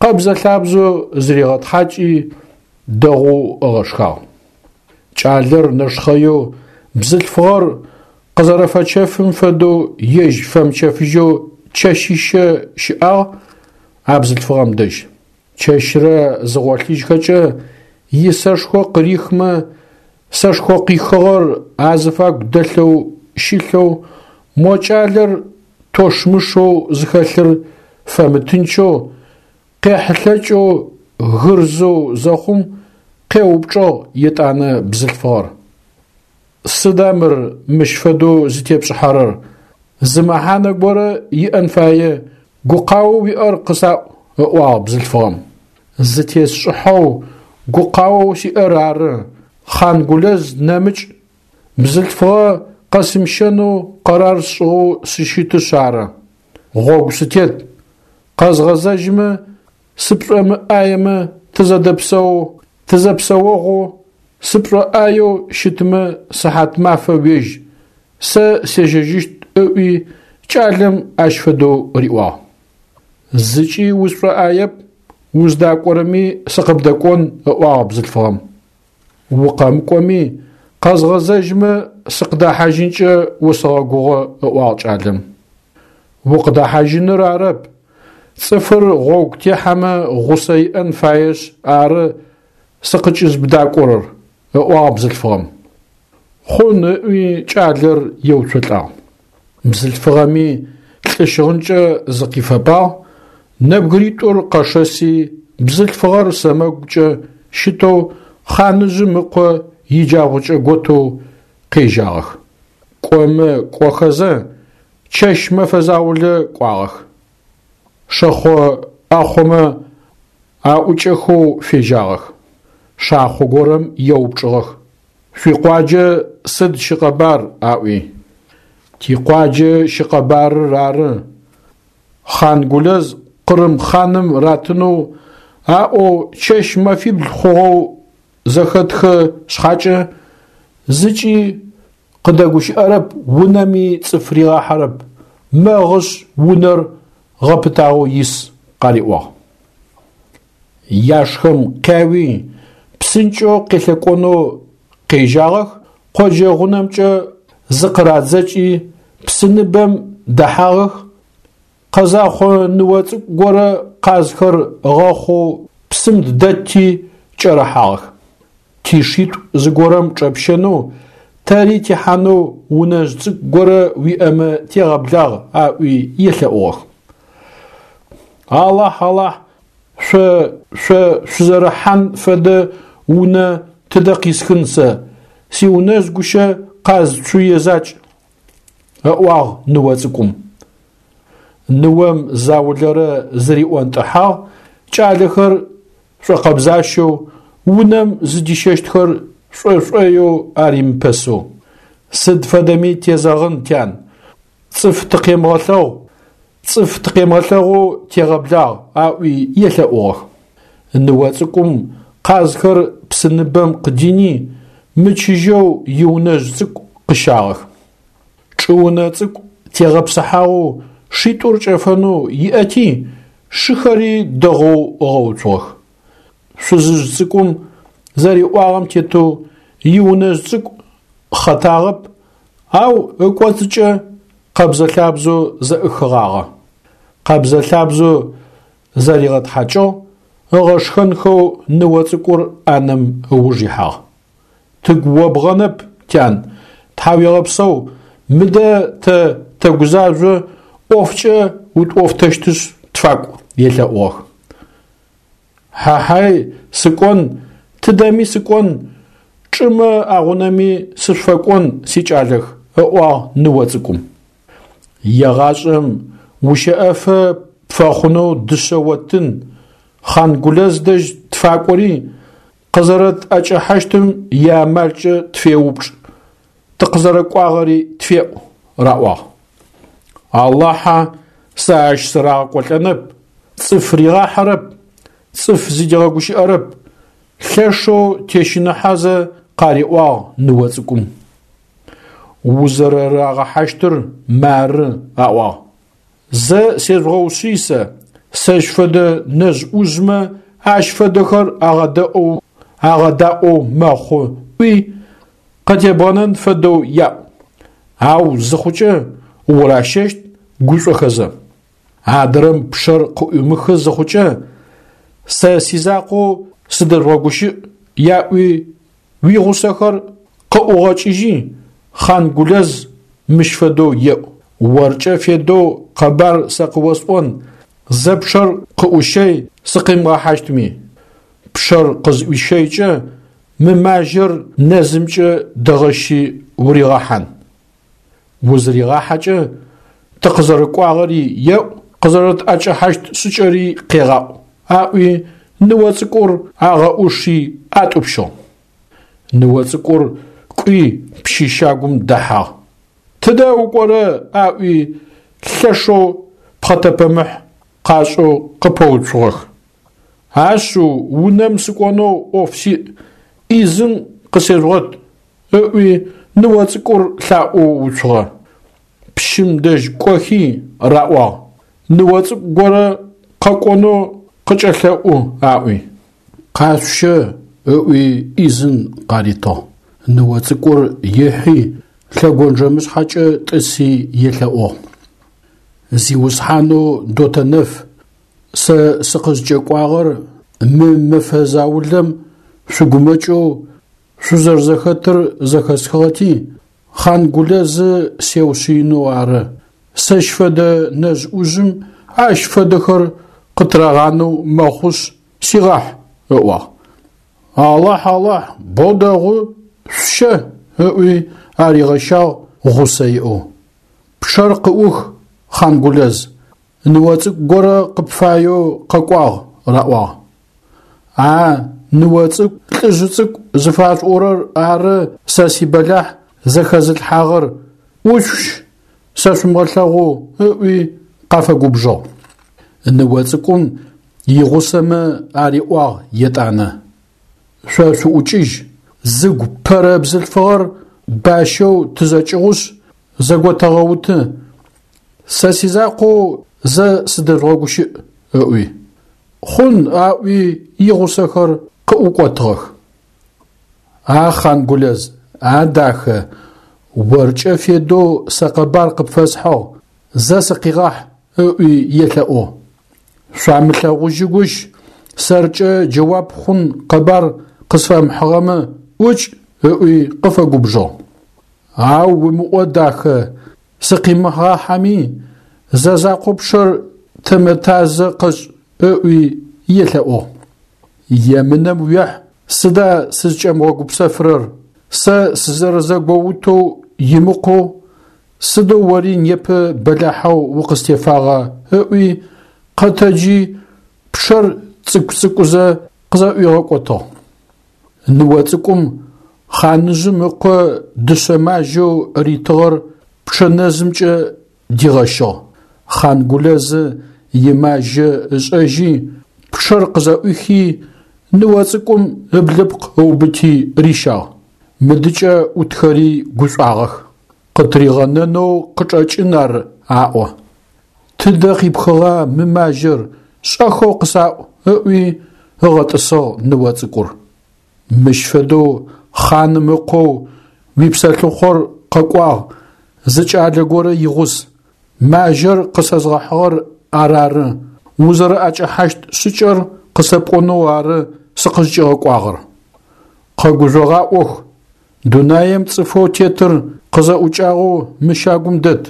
къэбзэ-лъабзэу зыригъэтхьакӏи, дэгъоу ыгъэшхагъ. Кӏалэр нэшхъэеу бзылъфыгъэр къызэрэфэчэфым фэдэу ежь фэмычэфыжьэу чэщищэ щыӏагъ а бзылъфыгъэм дэжь. Чэщрэ зыгъолъыжьхэкӏэ исэшхо къырихмэ, сэшхо къихыгъэр азыфагу дэлъэу щылъэу, мо кӏалэр тощмышэу зыхэлъыр фэмытынчэу, къехьылъэкӏэу гырзэу зэхъум, къеупчӏыгъ етӏанэ бзылъфыгъэр: Сыда мыр мыщ фэдэу зытепшӏыхьэрэр? Зы мэхьанэ горэ иӏэн фае, гукъаоу уиӏэр къысаӏу, ыӏуагъ бзылъфыгъэм. Зытесшӏыхьэу гукъаоу сиӏэр ары, Хъангулэз нэмыкӏ бзылъфыгъэ къэсымыщэнэу къэрар сшӏыгъэу сыщытышъ ары. Гъогу сытет, къэзгъэзэжьымэ, сыпшӏомыӏаемэ тызэдэпсэу, тызэпсэогъу, сыпшӏоӏаеу щытмэ сыхьат мафэ уежь, сэ сежьэжьыщт ыӏуи кӏалэм ащ фэдэу риӏуагъ. Зыкӏи усшӏоӏаеп, уздакӏорэми сыкъыбдэкӏон, ыӏуагъ бзылъфыгъэм. Укъэмыкӏоми, къэзгъэзэжьымэ сыкъыдэхьажьынкӏэ усэгъэгугъэ, ыӏуагъ кӏалэм. Укъыдэхьажьыныр арэп, цӏыфыр гъогу техьэмэ гъусэ иӏэн фаешъ ары сыкъыкӏызбдакӏорэр, ыӏуагъ бзылъфыгъэм. Хъун ыӏуи кӏалэр еуцолӏагъ. Бзылъфыгъэми лӏы щыгъынкӏэ зыкъифэпагъ, нэбгыритӏур къэшэси, бзылъфыгъэр сэмэгукӏэ щытэу хъаныжъым ыкъо иджабгъукӏэ готэу къежьагъэх. Кӏомэ кӏохэзэ, чэщ мэфэ заулэ кӏуагъэх. Шэхъо ӏахъомэ аӏукӏэхэу фежьагъэх. Шахъо горэм еупчӏыгъэх: Шъуикъуаджэ сыд щыкъэбар? Аӏуи. Тикъуаджэ щыкъэбарыр ары. Хъангулэз Къырым хъаным ратынэу аӏоу чэщ мэфибл хъугъэу зэхэтхы шъхьакӏэ, зыкӏи къыдэгущыӏэрэп, унэми цӏыф ригъахьэрэп, мэгъышъ унэр гъэпытагъэу ис, къариӏуагъ. Яшхэм къяуи, псынкӏэу къелъэкӏонэу къежьагъэх, къоджэ гъунэмкӏэ зыкъырадзэкӏи, псыныбэм дэхьагъэх, къэзахъо ныо цӏыкӏу горэ къазхэр ыгъэхъоу псым дэтти кӏэрыхьагъэх. Тишитӏу зыгорэм чӏэпщэнэу, тэри тихьанэу унэжъ цӏыкӏу горэ уиӏэмэ тегъэблагъ, аӏуи елъэӏугъэх. Алахь, Алахь, шъо шъо шъузэрыхьан фэдэ унэ тыдэ къисхын сэ, сиунэжъ гущэ къаз цуе закӏ, ыӏуагъ ныо цӏыкӏум. Ныом заулэрэ зыриӏонтӏыхьагъ, кӏалэхэр шӏокъэбзащэу, унэм зыдищэщтхэр шӏошӏоеу аримыпэсэу. Сыд фэдэми тезэгъын, тян, цӏыф тыкъемыгъэлъэгъу, цӏыф тыкъемыгъэлъэгъоу тегъэблагъ, аӏуи елъэӏугъэх. Ныо цӏыкӏум къазхэр псыныбэм къыдини, мычыжьэу иунэжъ цӏыкӏу къыщагъэх. Чӏыунэ цӏыкӏу тегъэпсыхьагъэу шитӏур кӏэфэнэу иӏэти, шыхэри дэгъоу ыгъэуцугъэх. Шъузыжъ цӏыкӏум зэриӏуагъэм тетэу иунэжъ цӏыкӏу хъэтагъэп, ау ыкӏоцӏыкӏэ къэбзэ-лъабзэу зэӏыхыгъагъэ. Къэбзэ-лъабзэу зэригъэтхьакӏыгъ, ыгъэшхэнхэу ныо цӏыкӏур ӏанэм ыуж ихьагъ. Тыгу обгъэнэп, тян, тхьауегъэпсэу, мыдэ тэ тэгузажъо, ӏофкӏэ утӏофтэщтышъ тфакӏу, елъэӏугъэх. Хьа-хьай, сыкӏон, тыдэми сыкӏон, чӏымэ агъунэми сышъуфэкӏон, сикӏалэх, ыӏуагъ ныо цӏыкӏум. Егъашӏэм ущэӏэфэ пфэхъунэу дышъэ оттын, Хъангулэз дэжь тфакӏори, къызэрэтӏэкӏэхьащтым иамалкӏэ тфеупчӏ, тыкъызэрэкӏуагъэри тфеӏу, раӏуагъ. Алахьа, сэ ащ сырагъэкӏолӏэнэп, цӏыф ригъахьэрэп, цӏыф зыдигъэгущыӏэрэп, лъэшэу тещыныхьэзэ къариӏуагъ ныо цӏыкӏум. Узэрэрагъэхьащтыр мары, аӏуагъ. Зэ сежъугъэушъый сэ, сэщ фэдэ нэжъ-ӏужъмэ ащ фэдэхэр агъэдэӏоу агъэдаӏоу мэхъу, ӏуи къытебгъэнэн фэдэу яӏу. Ау зыхъукӏэ уращэщт гушӏохэзэ. Адрэм пчъэр къыӏуимыхы зыхъукӏэ, сэ сизакъоу сыдэжъугъэгущыӏ яӏуи уигъусэхэр къыӏугъэкӏыжьи, Хъан-Гулэз мыщ фэдэу еӏу: Оркӏэ федэу къэбар сэ къыосӏон, зэ пчъэр къыӏущэй сыкъимыгъэхьащтми. Пчъэр къызыӏуищэйкӏэ мы мажьэр нэзымкӏэ дэгъэщи уригъэхьан. Узыригъахьэкӏэ тыкъызэрэкӏуагъэри еӏу, къызэрэтӏэкӏэхьащт шӏыкӏэри къегъаӏу, аӏуи ныо цӏыкӏур агъэӏуши атӏупщыгъ. Ныо цӏыкӏур кӏуи пщы щагум дэхьагъ. Тыдэ укӏорэ аӏуи лъэшэу пхъэтэпэмыхь къашӏэу къыпэуцугъэх. Ашъыу унэм сыкӏонэу ӏоф сиӏ, ӏизын къысежъугъэт, ыӏуи ныо цӏыкӏур лъаӏоу уцугъэ. Пщым дэжь кӏохи раӏуагъ: ныо цӏыкӏу горэ къэкӏонэу къыкӏэлъэӏу аӏуи. Къашъущэ ыӏуи ӏизын къаритыгъ. Ныо цӏыкӏур ихьи лъэгонджэмышъхьэкӏэ тӏыси елъэӏугъ. Зиусхьанэу Дотэнэф, сэ сыкъызкӏэкӏуагъэр мы мэфэ заулэм шъугумэкӏэу шъузэрэзэхэтыр зэхэсхыгъэти, Хъан-Гулэзы сеушъыинэу ары. Сэщ фэдэ нэжъ-ӏужъым ащ фэдэхэр къытырагъанэу мэхъушъ, сигъахь, ыӏуагъ. Алахь, Алахь, боу дэгъу, шъущэ, ыӏуи аригъэщагъ гъусэ иӏэу. Пчъэр къыӏух, Хъан-Гулэз, ныо цӏыкӏу горэ къыпфаеу къэкӏуагъ, раӏуагъ. А ныо цӏыкӏу, лӏыжъы цӏыкӏу зыфашъуӏорэр ары сэ сибэлахь зэхэзылъхьагъэр, ӏушъущ, сэшъумыгъэлъэгъоу, ыӏуи къафэгубжыгъ. Ныо цӏыкӏум игъусэмэ ариӏуагъ етӏанэ: Шъо шъуӏукӏыжь, зыгу пэрэ бзылъфыгъэр бащэу тызэкӏыгъушъ, зэготэгъэуты, сэ сизакъоу зэ сыдэжъугъэгущыӏ, ыӏуи. Хъун аӏуи игъусэхэр къыӏукӏотыгъэх. А Хъан-Гулэз, а дахэ, оркӏэ федэу сэ къэбар къыпфэсхьыгъ, зэ сыкъигъахь, ыӏуи елъэӏугъ. Шъуамылъэгъужьыгущ, сэркӏэ джэуап хъун къэбар къысфэмыхьыгъэмэ, ӏукӏ, ыӏуи къыфэгубжыгъ. Ау умыӏо, дахэ, сыкъимыгъахьэми, зэ закъо пчъэр тэмэтазэ къэшӏ, ыӏуи елъэӏугъ. Емынэм уехь, сыда сызкӏэмыгъэгупсэфырэр, сэ сызэрэзэгоутэу имыкъоу, сыдэу ори непэ бэлахьэу укъыстефагъа, ыӏуи къэтэджи пчъэр цӏыкӏу-цӏыкӏузэ къызэӏуигъэкӏотыгъ. Ныо цӏыкӏум хъаныжъым ыкъо дышъэ мажьэу ритыгъэр пчъэ нэзымкӏэ дигъэщыгъ. Хъан-Гулэзы имажьэ ышӏэжьи, пчъэр къызэӏуихи, ныо цӏыкӏум ыблыпкъ ыубыти рищагъ. Мыдыкӏэ ӏутхэри гушӏуагъэх. Къытыригъэнэнэу къычӏэкӏын ар аӏо. Тыдэ къипхыгъа мы мажьэр, шӏэхэу къысаӏу, ыӏуи ыгъэтӏысыгъ ныо цӏыкӏур. Мыщ фэдэу хъаным ыкъоу уипсэлъыхъор къэкӏуагъ, зы кӏалэ горэ игъус. Мажьэр къысэзгъэхьыгъэр арары, узэрэӏэкӏэхьащт шӏыкӏэр къысэпӏонэу ары сыкъызкӏигъэкӏуагъэр. Къэгужъогъаӏох, дунаим цӏыфэу тетыр къызэӏукӏагъэу мы щагум дэт.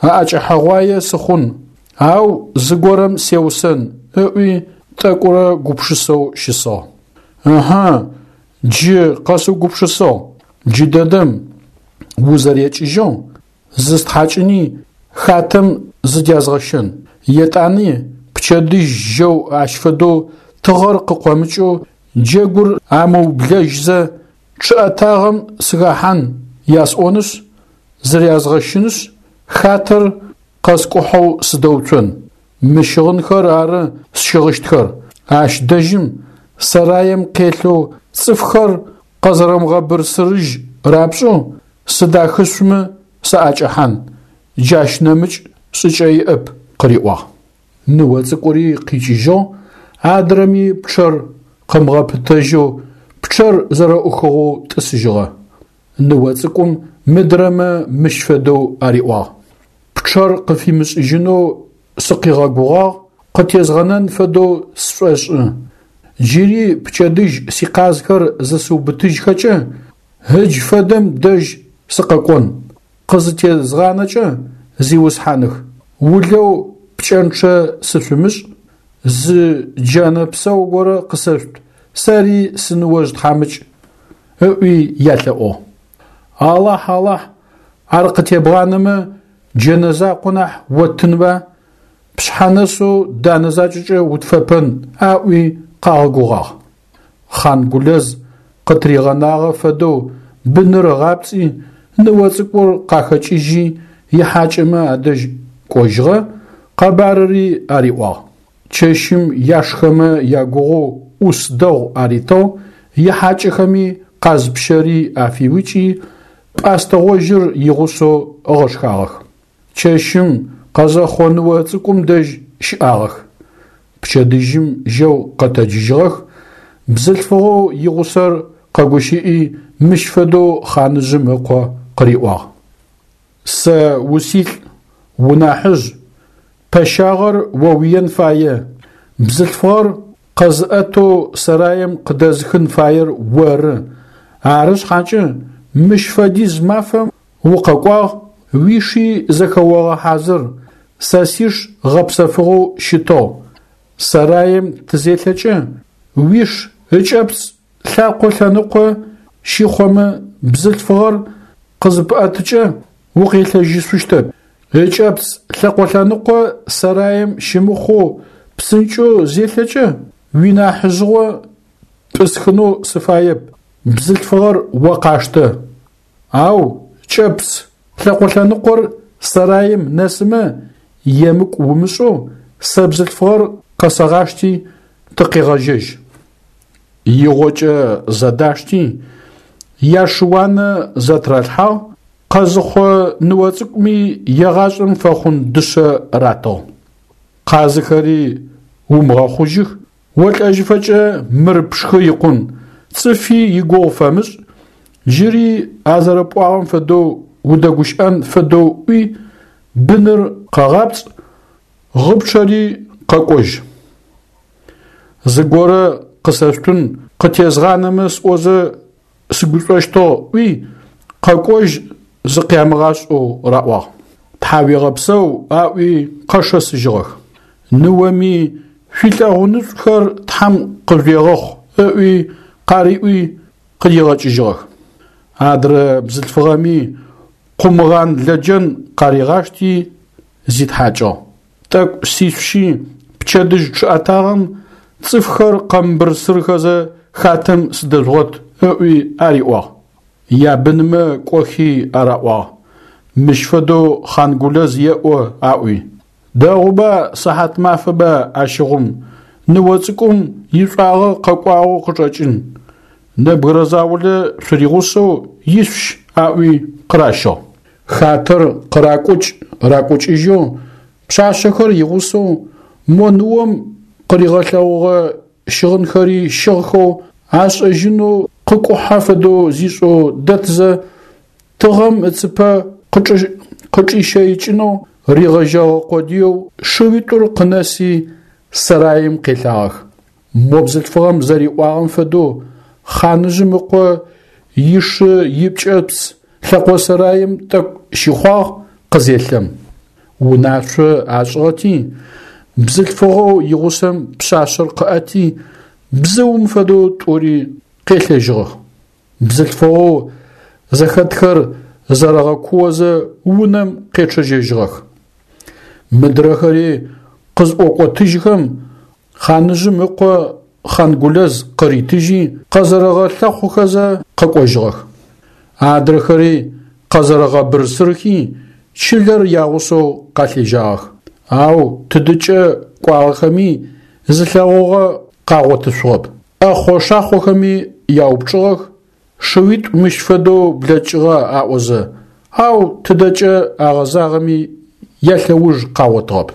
Аӏэкӏэхьэгъуае сыхъун, ау зыгорэм сеусэн, ыӏуи тӏэкӏурэ гупшысэу щысыгъ. Ыхьы, джы къэсыугупшысыгъ, джыдэдэм узэрекӏыжьэу зыстхьакӏыни хатэм зыдязгъэщэн. Етӏани пчэдыжь жьэу ащ фэдэу тыгъэр къыкъомыкӏэу джэгур амыублэжьзэ чъыӏэтагъэм сыхэхьан ясӏонышъ, зырязгъэщынышъ, хатэр къэскӏухьэу сыдэуцон. Мы щыгъынхэр ары сщыгъыщтхэр. Ащ дэжьым сэраем къелъэу цӏыфхэр къэзэрэмыгъэбырсырыжь рапшӏэу сыдахышъумэ саӏэкӏэхьан, джащ нэмыкӏ шӏыкӏэ иӏэп, къыриӏуагъ. Ныо цӏыкӏури къикӏыжьыгъ, адрэми пчъэр къымыгъэпытэжьэу пчъэр зэрэӏухыгъэу тӏысыжьыгъэ. Ныо цӏыкӏум мыдрэмэ мыщ фэдэу ариӏуагъ: Пчъэр къыфимышӏыжьынэу сыкъигъэгугъагъ, къытезгъэнэн фэдэу сшӏошӏы. Джыри пчэдыжь сикъазхэр зысыубытыжьхэкӏэ, ыдж фэдэм дэжь сыкъэкӏон. Къызытезгъанэкӏэ, зиусхьаных, улэу пкӏэнчъэ сышъумышӏ, зы джэнэ псэу горэ къысэшъут, сэри сыныожъ тхьамыкӏ, ыӏуи ялъэӏугъ. Алахь, Алахь, ар къытебгъанэмэ, джэнэ закъо нахь оттынба, пшъхьэ нэсэу данэ закӏэкӏэ утфэпэн, аӏуи къагъэгугъагъ. Хъангулэз къытыригъэнагъэ фэдэу быныр ыгъапцӏи, ныо цӏыкӏур къахэкӏыжьи, ихьакӏэмэ адэжь кӏожьыгъэ, къэбарыри ариӏуагъ. Чэщым яшхэмэ ягугъоу ӏус дэгъу аритыгъ, ихьакӏэхэми къаз пщэри афиукӏи, пӏастэ гъожьыр игъусэу ыгъэшхагъэх. Чэщым къэзэхъо ныо цӏыкӏум дэжь щыӏагъэх. Пчэдыжьым жьэу къэтэджыжьыгъэх, бзылъфыгъэу игъусэр къэгущыӏи мыщ фэдэу хъаныжъым ыкъо къыриӏуагъ: Сэ усилӏ, унахьыжъ, пэщагъэр оуиен фае, бзылъфыгъэр къэзыӏэтэу сэраем къыдэзыхын фаер оры, ары шъхьакӏэ мыщ фэдиз мафэм укъэкӏуагъ, уиши зэхэогъэхьазыр, сэ сиш гъэпсэфыгъэу щытыгъ, сэраем тызелъэкӏэ, уиш ыкӏэпц лъакъо лъэныкъо щыхъомэ бзылъфыгъэр къызыпӏэтыкӏэ укъелъэжьышъущтэп. Ыкӏэпц лъэкъо лъэныкъо сэраем щымыхъоу псынкӏэу зелъэкӏэ, уинахьыжъыгъо пӏысхынэу сыфаеп, бзылъфыгъэр о къаштэ. Ау кӏэпц лъэкъо лъэныкъор сэраим нэсымэ емыкӏу умышӏэу сэ бзылъфыгъэр къэсэгъашти тыкъегъэжьэжь. Игъокӏэ зэдашти, яшыуанэ зэтыралъхьагъ, къэзыхъо ныо цӏыкӏуми егъашӏэм фэхъун дышъэ ратыгъ. Къазыхэри умыгъэхъужьых, олӏэжьыфэкӏэ мыр пшхы икъун, цӏыфи игугъу фэмышӏ, джыри а зэрэпӏуагъэм фэдэу удэгущыӏэн фэдэу ӏуи, быныр къэгъапцӏ, гъыпчъэри къэкӏожь. Зыгорэ къысэшъутын къытезгъанэмэ сӏозэ сыгушӏощтыгъ ӏуи, къэкӏожь зыкъямыгъашӏэу раӏуагъ. Тхьауегъэпсэу аӏуи къэшэсыжьыгъэх. Ныоми шъуилъэгъунышӏухэр Тхьэм къыжъуегъэхъу ыӏуи къариӏуи къыдигъэкӏыжьыгъэх. Адрэ бзылъфыгъэми къумгъан лэджэн къаригъашти зитхьакӏыгъ. Тӏэкӏу сишъущи, пчэдыжь чъыӏэтагъэм цӏыфхэр къэмыбырсырхэзэ хатэм сыдэжъугъэт ыӏуи ариӏуагъ. Ябынмэ кӏохи араӏуагъ: Мыщ фэдэу Хъангулэз еӏо аӏуи. Дэгъуба сыхьат мафэба ащыгъум, ныо цӏыкӏум ишӏуагъэ къэкӏуагъэу къычӏэкӏын. Нэбгырэ заулэ шъуригъусэу ишъущ аӏуи къыращыгъ. Хатэр къыракӏукӏ ракӏукӏыжьэу пшъашъэхэр игъусэу мо ныом къыригъэлъэгъугъэ щыгъынхэри щыгъхэу ашӏэжьынэу къыкӏухьэ фэдэу зишӏэу дэтзэ, тыгъэм ыцыпэ къычӏищэикӏынэу ригъэжьэгъэ къодыеу шыуитӏур къынэси сэраим къелъагъэх. Мо бзылъфыгъэм зэриӏуагъэм фэдэу хъаныжъым ыкъо ишы ипкӏэпц лъэкъо сэраим тӏэкӏу щыхъуагъ къызелъэм. Унашъо ашӏыгъэти, бзылъфыгъэу игъусэм пшъашъэр къыӏэти, бзыум фэдэу тӏури къелъэжьыгъэх. Бзылъфыгъэу зэхэтхэр зэрэгъэкуозэ унэм къечъэжьэжьыгъэх. Мыдрэхэри къызӏокӏотыжьхэм, хъаныжъым ыкъо Хъангулэз къыритыжьи, къэзэрэгъэлъэхъухэзэ къэкӏожьыгъэх. Адрэхэри къэзэрэгъэбырсырхи, чылэр ягъусэу къалъежьагъэх. Ау тыдыкӏэ кӏуагъэхэми зылъэгъугъэ къагъотышъугъэп. ӏэхъо-шахъохэми яупчӏыгъэх, шыуитӏу мыщ фэдэу блэкӏыгъэ аӏозэ, ау тыдэкӏэ агъэзагъэми ялъэуж къагъотыгъэп.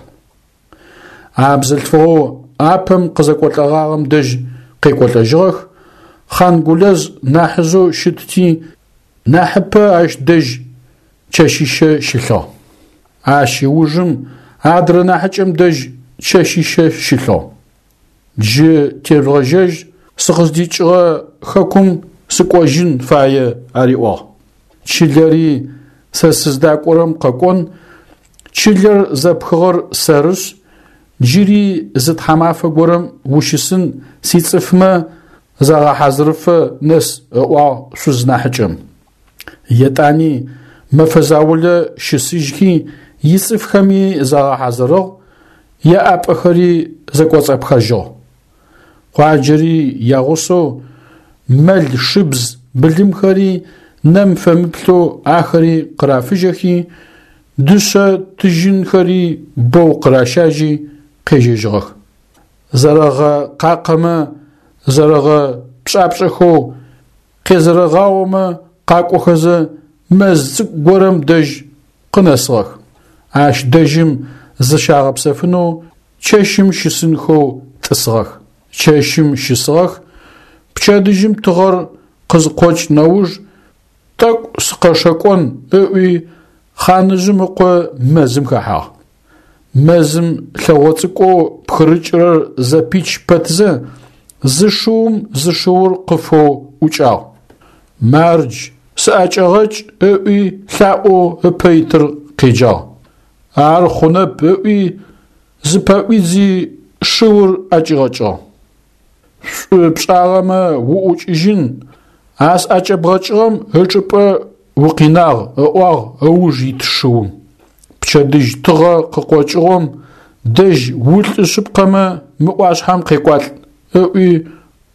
А бзылъфыгъэу апэм къызэкӏолӏэгъагъэм дэжь къекӏолӏэжьыгъэх, Хъангулэз нахьыжъэу щытти, Нахьыпэ ащ дэжь чэщищэ щылъыгъ. Ащ ыужым адрэ нахьыкӏэм дэжь чэщищэ щылъыгъ. Джы тежъугъэжьэжь, сыкъыздикӏыгъэ хэкум сыкӏожьын фае, ариӏуагъ. Чылэри сэ сыздакӏорэм къэкӏон, чылэр зэпхыгъэр сэрышъ, джыри зы тхьамафэ горэм ущысын сицӏыфмэ загъэхьазырыфэ нэс, ыӏуагъ шъуз нахьыкӏэм. Етӏани мэфэ заулэ щысыжьхи ицӏыфхэми загъэхьазырыгъ, яӏапӏэхэри зэкӏоцӏапхэжьыгъ. Къуаджэри ягъусэу мэл шыбз былымхэри нэм фэмыплъэу ахэри къырафыжьэхи, дышъэ тыжьынхэри бэу къыращажьи къежьэжьыгъэх. Зэрэгъэкъакъэмэ зэрэгъэпшӏапшӏэхэу къезэрэгъаомэ къакӏохэзэ мэз цӏыкӏу горэм дэжь къынэсыгъэх. Ащ дэжьым зыщагъэпсэфынэу чэщым щысынхэу тӏысыгъэх. Чэщым щысыгъэх, пчэдыжьым тыгъэр къызыкъокӏ нэуж тӏэкӏу сыкъэшэкӏон ыӏуи хъаныжъым ыкъо мэзым хэхьагъ. Мэзым лъэгъо цӏыкӏоу пхырыкӏырэр зэпич пэтзэ, зы шыум зы шыур къыфэу ӏукӏагъ. Мардж, сыӏэкӏэгъэкӏ ыӏуи лъаӏоу ыпэ итыр къеджагъ. Ар хъунэп ыӏуи зыпэӏуидзи шыур ӏэкӏигъэкӏыгъ. Шӏу пшӏагъэмэ уӏукӏыжьын, а сӏэкӏэбгъэкӏыгъэм ычӏыпӏэ укъинагъ, ыӏуагъ ыуж ит шыум. Пчэдыжь тыгъэ къыкъокӏыгъом дэжь улӏы шъыпкъэмэ мы ӏуашъхьэм къекӏуалӏ, ыӏуи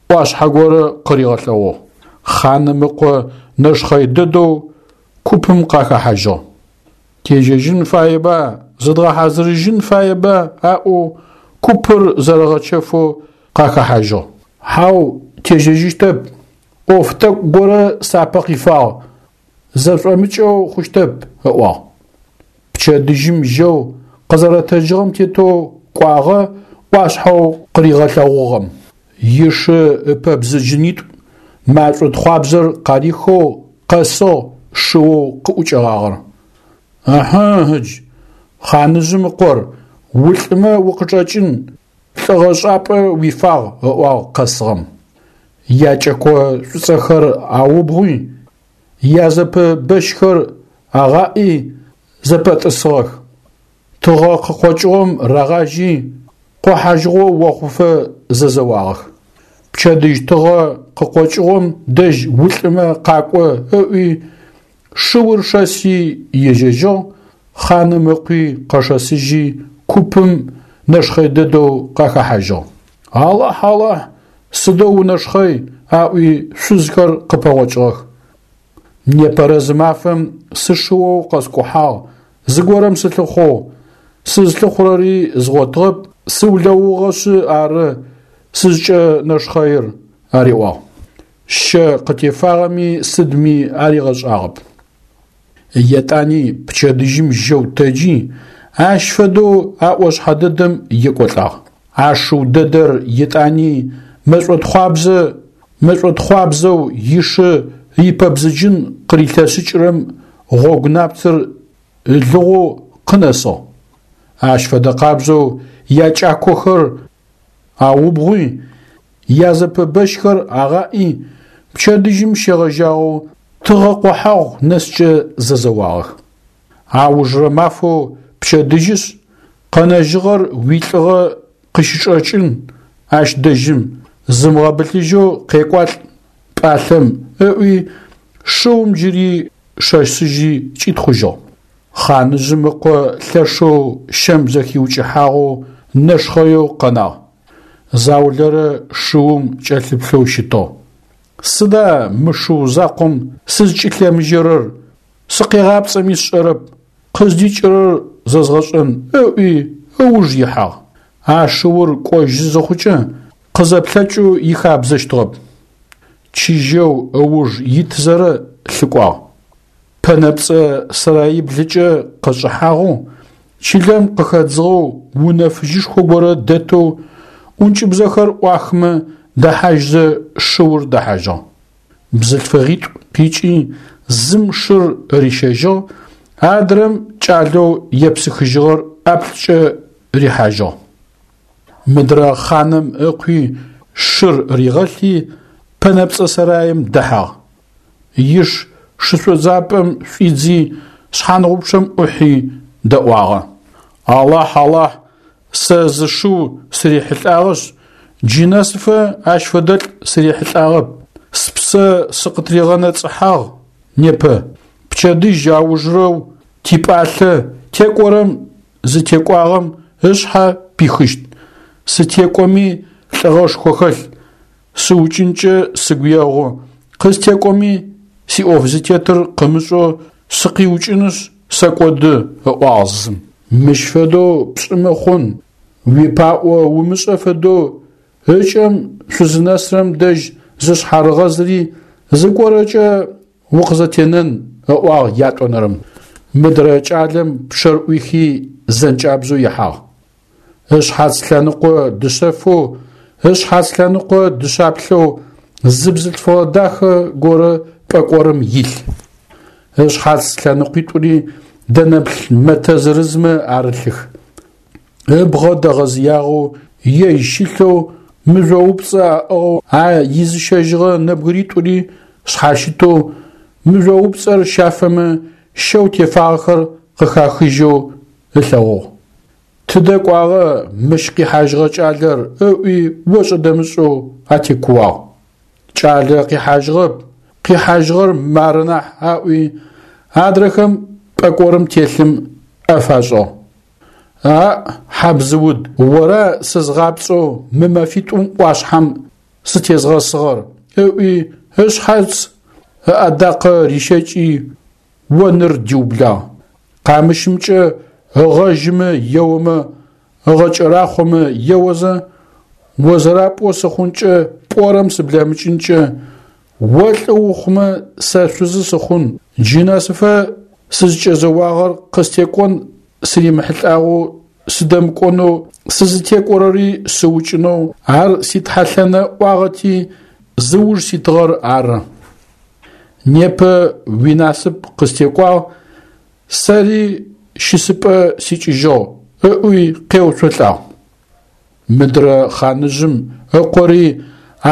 ӏуашъхьэ горэ къыригъэлъэгъугъ. Хъаным ыкъо нэшхъэй дэдэу купым къахэхьажьыгъ. Тежьэжьын фаеба, зыдгъэхьазырыжьын фаеба аӏоу купыр зэрэгъэчэфэу къахэхьажьыгъ. Хьау, тежьэжьыщтэп, ӏоф тӏэкӏу горэ сапэ къифагъ, зэшӏомыкӏэу хъущтэп, ыӏуагъ. Пчэдыжьым жьэу къызэрэтэджыгъэм тетэу кӏуагъэ ӏуашъхьэу къыригъэлъэгъугъэм. Ишы ыпэбзыджынитӏу машӏо тхъуабзэр къарихэу къэсыгъ шыоу къыӏукӏэгъагъэр. Ыхьы, ыдж, хъаныжъым ыкъор, улӏымэ укъычӏэкӏын, лӏыгъэшӏапӏэ уифагъ, ыӏуагъ къэсыгъэм. Якӏэко шӏуцӏэхэр аубгъуи, язэпэ бэщхэр агъаӏи зэпэтӏысыгъэх. Тыгъэ къыкъокӏыгъом рагъажьи, къохьажьыгъо охъуфэ зэзэуагъэх. Пчэдыжь тыгъэ къыкъокӏыгъом дэжь улӏымэ къакӏо ыӏуи, шыур шэси ежьэжьыгъ, хъаным ыкъуи къэшэсыжьи купым нэшхъэй дэдэу къахэхьажьыгъ. Алахь, Алахь, сыдэу унэшхъэй, аӏуи шъузхэр къыпэгъокӏыгъэх. Непэрэ зы мафэм сышыоу къэскӏухьагъ, зыгорэм сылъыхъоу, сызлъыхъурэри згъотыгъэп, сыулэугъэшъы ары сызкӏэнэшхъэир, ариӏуагъ. Щэ къытефагъэми сыдми аригъэшӏагъэп. Етӏани пчэдыжьым жьэу тэджи, ащ фэдэу а ӏошъхьэ дэдэм екӏолӏагъ. А шыу дэдэр етӏани мэшӏотхъуабзэ мэшӏотхъуабзэу ишы ипэбзыджын къырилъэсыкӏырэм гъогу напцэр ылыгъоу къынэсыгъ. Ащ фэдэ къабзэу якӏакохэр аубгъуи, язэпэбэщхэр агъаӏи, пчэдыжьым щегъэжьагъэу тыгъэ къохьэгъу нэскӏэ зэзэуагъэх. Аужрэ мафэу пчэдыжьышъ, къэнэжьыгъэр уилӏыгъэ къыщычӏэкӏын ащ дэжьым, зымыгъэбылъыжьэу къекӏуалӏ пӏалъэм, ыӏуи шыум джыри шэсыжьи кӏитхъужьыгъ. Хъаныжъым ыкъо лъэшэу щэм зэхиукӏыхьагъэу нэшхъэеу къэнагъ. Заулэрэ шыум кӏэлъыплъэу щытыгъ. Сыда мы шыу закъом сызкӏылъемыжьэрэр, сыкъегъапцӏэми сшӏэрэп, къыздикӏырэр зэзгъэшӏэн, ыӏуи ыуж ихьагъ. А шыур кӏожьы зыхъукӏэ къызэплъэкӏэу ихабзэщтыгъэп. Чыжьэу ыуж итызэрэ лъыкӏуагъ. Пэнэпцӏэ сэраиблыкӏэ къэшӏыхьагъэу, чылэм къыхэдзыгъэу унэ фыжьышхо горэ дэтэу ӏункӏыбзэхэр ӏуахмэ дэхьажьзэ шыур дэхьажьыгъ. Бзылъфыгъитӏу къикӏи Зым шыр рищэжьыгъ, адрэм кӏалэу епсыхыжьыгъэр ӏаплӏкӏэ рихьажьыгъ. Мыдрэ хъаным ыкъуи шыр ригъэлъи пэнэпцӏэ сэраим дэхьагъ. Иш шышӏодзапӏэм шӏуидзи шъхьангъупчъэм ӏухьи дэӏуагъэ. Алахь, Алахь, сэ зы шыу сырихьылӏагъэшъ, джы нэсыфэ ащ фэдэлӏ сырихьылӏагъэп, спсэ сыкъытригъэнэцӏыхьагъ непэ. Пчэдыжь аужырэу типӏалъэ текӏорэм зытекӏуагъэм ышъхьэ пихыщт. Сытекӏоми лӏыгъэшхо хэлъ, сыукӏынкӏэ сыгу егъу, къыстекӏоми сиӏоф зытетыр къымышӏэу сыкъиукӏынышъ сэкӏоды, ыӏуагъ зым. Мыщ фэдэу пшӏымэ хъун, уипаӏо умышӏэ фэдэу ыкӏэм шъузынэсырэм дэжь зышъхьарыгъэзри зыгорэкӏэ укъызэтенэн, ыӏуагъ ятӏонэрэм. Мыдрэ кӏалэм пчъэр ӏуихи зэнкӏабзэу ихьагъ. Ышъхьац лъэныкъо дышъэфэу, ышъхьац лъэныкъо дышъаплъэу зы бзылъфыгъэ дахэ горэ пӏэкӏорым илъ. Ышъхьац лъэныкъуитӏури дэнэплъ мэтэ зырызмэ арылъых. Ыбгъэ дэгъэзыягъэу, ежь щылъэу, мыжъоупцӏэ аӏыгъэу а изыщэжьыгъэ нэбгыритӏури шъхьащытэу, мыжъоупцӏэр щафэмэ щэу тефагъэхэр къыхахыжьэу ылъэгъугъ. Тыдэ кӏуагъэ мыщ къихьажьыгъэ кӏалэр ыӏуи ошӏэ-дэмышӏэу атекууагъ. Кӏалэ къихьажьыгъэп, къихьажьыгъэр мары нахь аӏуи, адрэхэм пӏэкӏорым телъым ӏэ фашӏыгъ. Аӏ, хьабзыуд, ора сызгъапцӏэу мы мэфитӏум ӏуашъхьэм сытезгъэсыгъэр, ыӏуи ышъхьац ыӏэдакъэ рищэкӏи оныр диублагъ. Къамыщымкӏэ ыгъэжьымэ еомэ, ыгъэкӏэрахъомэ еозэ, о зэрапӏоу сыхъункӏэ, пӏорэм сыблэмыкӏынкӏэ, о лӏы ухъумэ сэ шъузы сыхъун, джы нэсыфэ сызкӏэзэуагъэр къыстекӏон сыримыхьылӏагъэу сыдэмыкӏонэу, сызытекӏорэри сыукӏынэу, ар ситхьэлъэнэ ӏуагъэти зыуж ситыгъэр ары. Непэ уинасып къыстекӏуагъ, сэри щысыпӏэ сикӏыжьыгъ, ыӏуи къеуцолӏагъ. Мыдрэ хъаныжъым ыкъори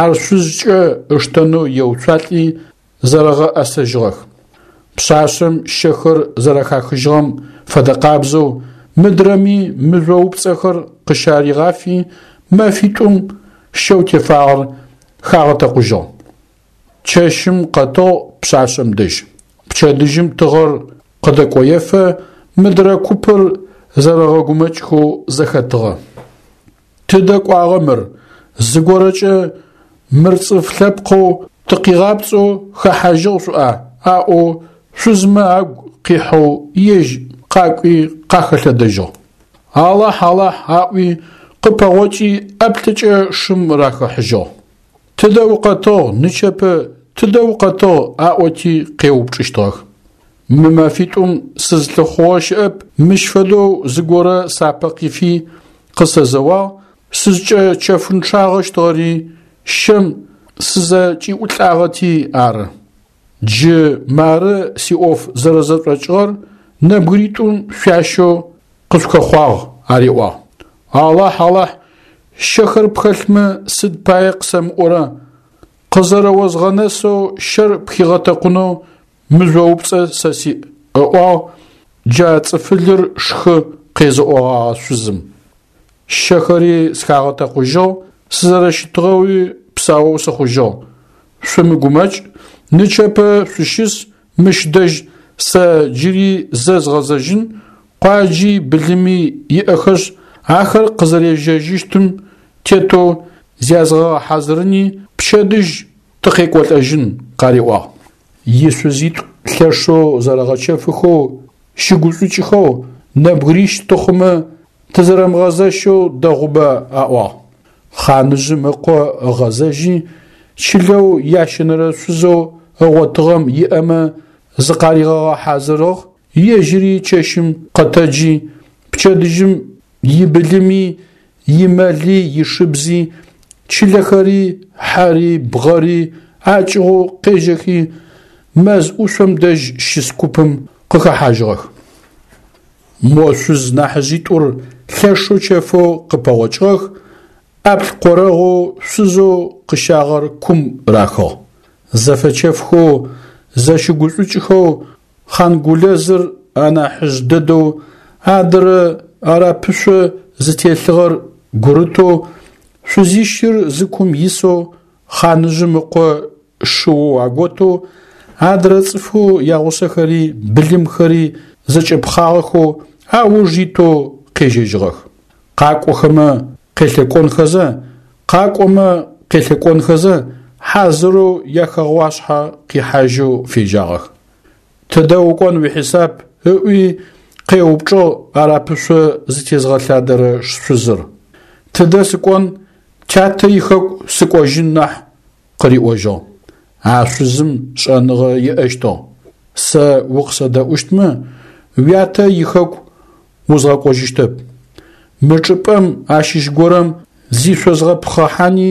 ар шъузкӏэ ыштэнэу еуцуалӏи зэрэгъэӏэсэжьыгъэх. Пшъашъэм щэхэр зэрэхахыжьыгъэм фэдэкъабзэу мыдрэми мыжъоупцӏэхэр къыщаригъафи мэфитӏум щэу тефагъэр хагъэтэкъужьыгъ. Чэщым къэтыгъ пшъашъэм дэжь. Пчэдыжьым тыгъэр къыдэкӏоефэ мыдрэ купыр зэрэгъэгумэкӏхэу зэхэтыгъэ. Тыдэ кӏуагъэ мыр, зыгорэкӏэ мыр цӏыф лъэпкъэу тыкъигъапцӏэу хэхьажьыгъ шъуӏа, аӏоу шъузмэ агу къихьэу ежь къакӏуи къахэлъэдэжьыгъ. Алахь, Алахь аӏуи къыпэгъокӏи ӏаплӏыкӏэ шым рахыхьажьыгъ. Тыдэ укъэтыгъ нычэпэ, тыдэ укъэтыгъ аӏоти къеупчӏыщтыгъэх. Мы мэфитӏум сызлъыхъугъэ щыӏэп, мыщ фэдэу зыгорэ сапэ къифи къысэзэуагъ, сызкӏэчэфынчъагъэщтыгъэри щэм сызэкӏиӏулӏагъэти ары. Джы мары сиӏоф зэрэзэшӏокӏыгъэр нэбгыритӏум шъуащэу къышъухэхъуагъ, ариӏуагъ. Алахь, Алахь, щэхэр пхэлъмэ сыд пае къысэмыӏорэ, къызэрэозгъэнэсэу щэр пхигъэтэкъунэу мыжъоупцӏэ сэ сиӏ, ыӏуагъ джа цӏыфылыр шхы къезыӏогъагъэ шъузым. Щэхэри схагъэтэкъужьыгъ, сызэрэщытыгъэуи псаоу сыхъужьыгъ. Шъумыгумэкӏ, нычэпэ шъущыс мыщ дэжь сэ джыри зэ згъэзэжьын, къуаджи былыми иӏэхэшъ, ахэр къызэрежьэжьыщтым тетэу зязгъэгъэхьазырыни пчэдыжь тыкъекӏолӏэжьын, къариӏуагъ. Ишъузитӏу лъэшэу зэрэгъэчэфыхэу, щыгушӏукӏыхэу, нэбгырищ тыхъумэ тызэрэмыгъэзэщэу дэгъуба аӏуагъ. Хъаныжъым ыкъо ыгъэзэжьи, чылэу ящэнэрэ шъузэу ыгъотыгъэм иӏэмэ зыкъаригъэгъэхьазырыгъ, ежьыри чэщым къэтэджи, пчэдыжьым ибылыми, имэли, ишыбзи, чылэхэри, хьэри, бгъэри акӏыгъоу къежьэхи, мэз ӏушъом дэжь щыс купым къыхэхьажьыгъэх. Мо шъуз нахьыжъитӏур лъэшэу чэфэу къыпэгъокӏыгъэх, ӏаплӏкъорэгъоу шъузэу къыщагъэр кум рахыгъ. Зэфэчэфхэу, зэщыгушӏукӏхэу Хъангулэзыр анахьыжъ дэдэу, адырэ арапышъо зытелъыгъэр гурытэу, шъузищыр зы кум исэу, хъаныжъым ыкъо шыоу аготэу, адрэ цӏыфэу ягъусэхэри былымхэри зэкӏэпхъагъэхэу ауж итэу къежьэжьыгъэх. Къакӏохэмэ къелъэкӏонхэзэ, къакӏомэ къелъэкӏонхэзэ, хьазырэу яхэгъуашъхьэ къихьажьэу фежьагъэх. Тыдэ укӏон уихьисап? ыӏуи къеупчӏыгъ арапышъо зытезгъэлъадэрэ шъузыр. Тыдэ сыкӏон, тятэ ихэку сыкӏожьын нахь, къыриӏожьыгъ. А шъузым шӏэныгъэ иӏэщтыгъ. Сэ укъысэдэӏущтмэ, уятэ ихэку узгъэкӏожьыщтэп. Мы чӏыпӏэм ащыщ горэм зишъозгъэпхъыхьани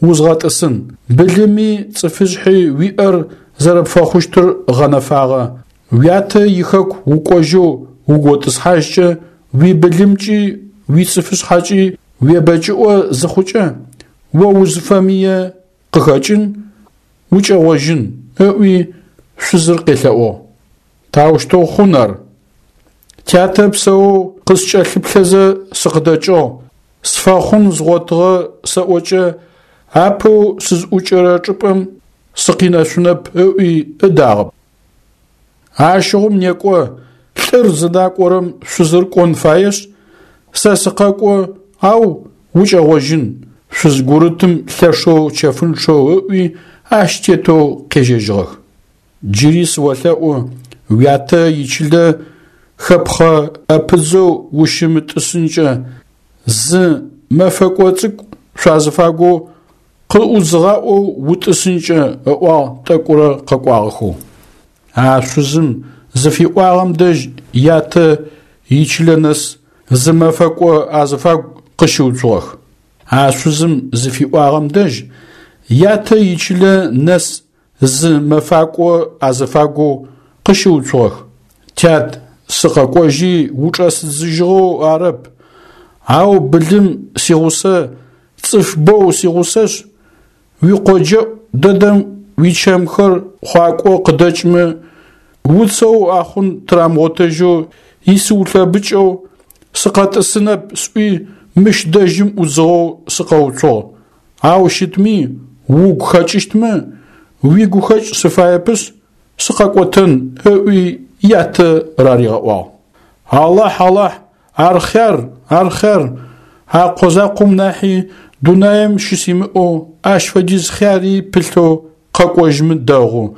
узгъэтӏысын. Былыми цӏыфышъхьи уиӏэр зэрэпфэхъущтыр гъэнэфагъэ. Уятэ ихэку укӏожьэу уготӏысхьажькӏэ, уибылымкӏи уицӏыфышъхьэкӏи уебэкӏыӏо зыхъукӏэ, о узыфэмые къыхэкӏын, укӏэгъожьын, ыӏуи шъузыр къелъэӏугъ. Таущтэу хъун ар? Тятэ псэоу къыскӏэлъыплъэзэ сыкъыдэкӏыгъ, сфэхъун згъотыгъэ сэӏокӏэ апэу сызӏукӏэрэ чӏыпӏэм сыкъинэшъунэп ыӏуи ыдагъэп. Ащыгъум некӏо, лӏыр зыдакӏорэм шъузыр кӏон фаешъ, сэ сыкъэкӏо, ау укӏэгъожьын, шъуз гурытым лъэшэу чэфынчъэу ыӏуи ащ тетэу къежьэжьыгъэх. Джыри сыолъэӏу, уятэ ичылэ хэпхъэ ӏэпыдзэу ущымытӏысынкӏэ, зы мэфэкӏо цӏыкӏу шъуазыфагоу къыӏудзыгъаӏоу утӏысынкӏэ, ыӏуагъ тӏэкӏурэ къэкӏуагъэхэу. А шъузым зыфиӏуагъэм дэжь ятэ ичылэ нэс зы мэфэкӏо азыфагу къыщыуцугъэх. А шъузым зыфиӏуагъэм дэжь ятэ ичылэ нэс зы мэфакӏо азыфагоу къыщыуцугъэх. Тят, сыкъэкӏожьи учӏэсыдзыжьыгъэу арэп, ау былым сигъусэ, цӏыф боу сигъусэшъ, уикъоджэӏу дэдэм уичэмхэр хъуакӏо къыдэкӏмэ, уцэу ахъун тырамыгъотэжьэу исыулъэбыкӏэу сыкъэтӏысынэп сӏуи мыщ дэжьым ӏудзыгъэу сыкъэуцугъ. Ау щытми угу хэкӏыщтмэ, уигухэкӏ сыфаепышъ, сыкъэкӏотэн, ыӏуи ятэ раригъэӏуагъ. Алахь, Алахь, ар хъяр, ар хъяр, а къо закъом нахьи дунаим щысимыӏэу ащ фэдиз хъяри пылъэу къэкӏожьмэ дэгъу,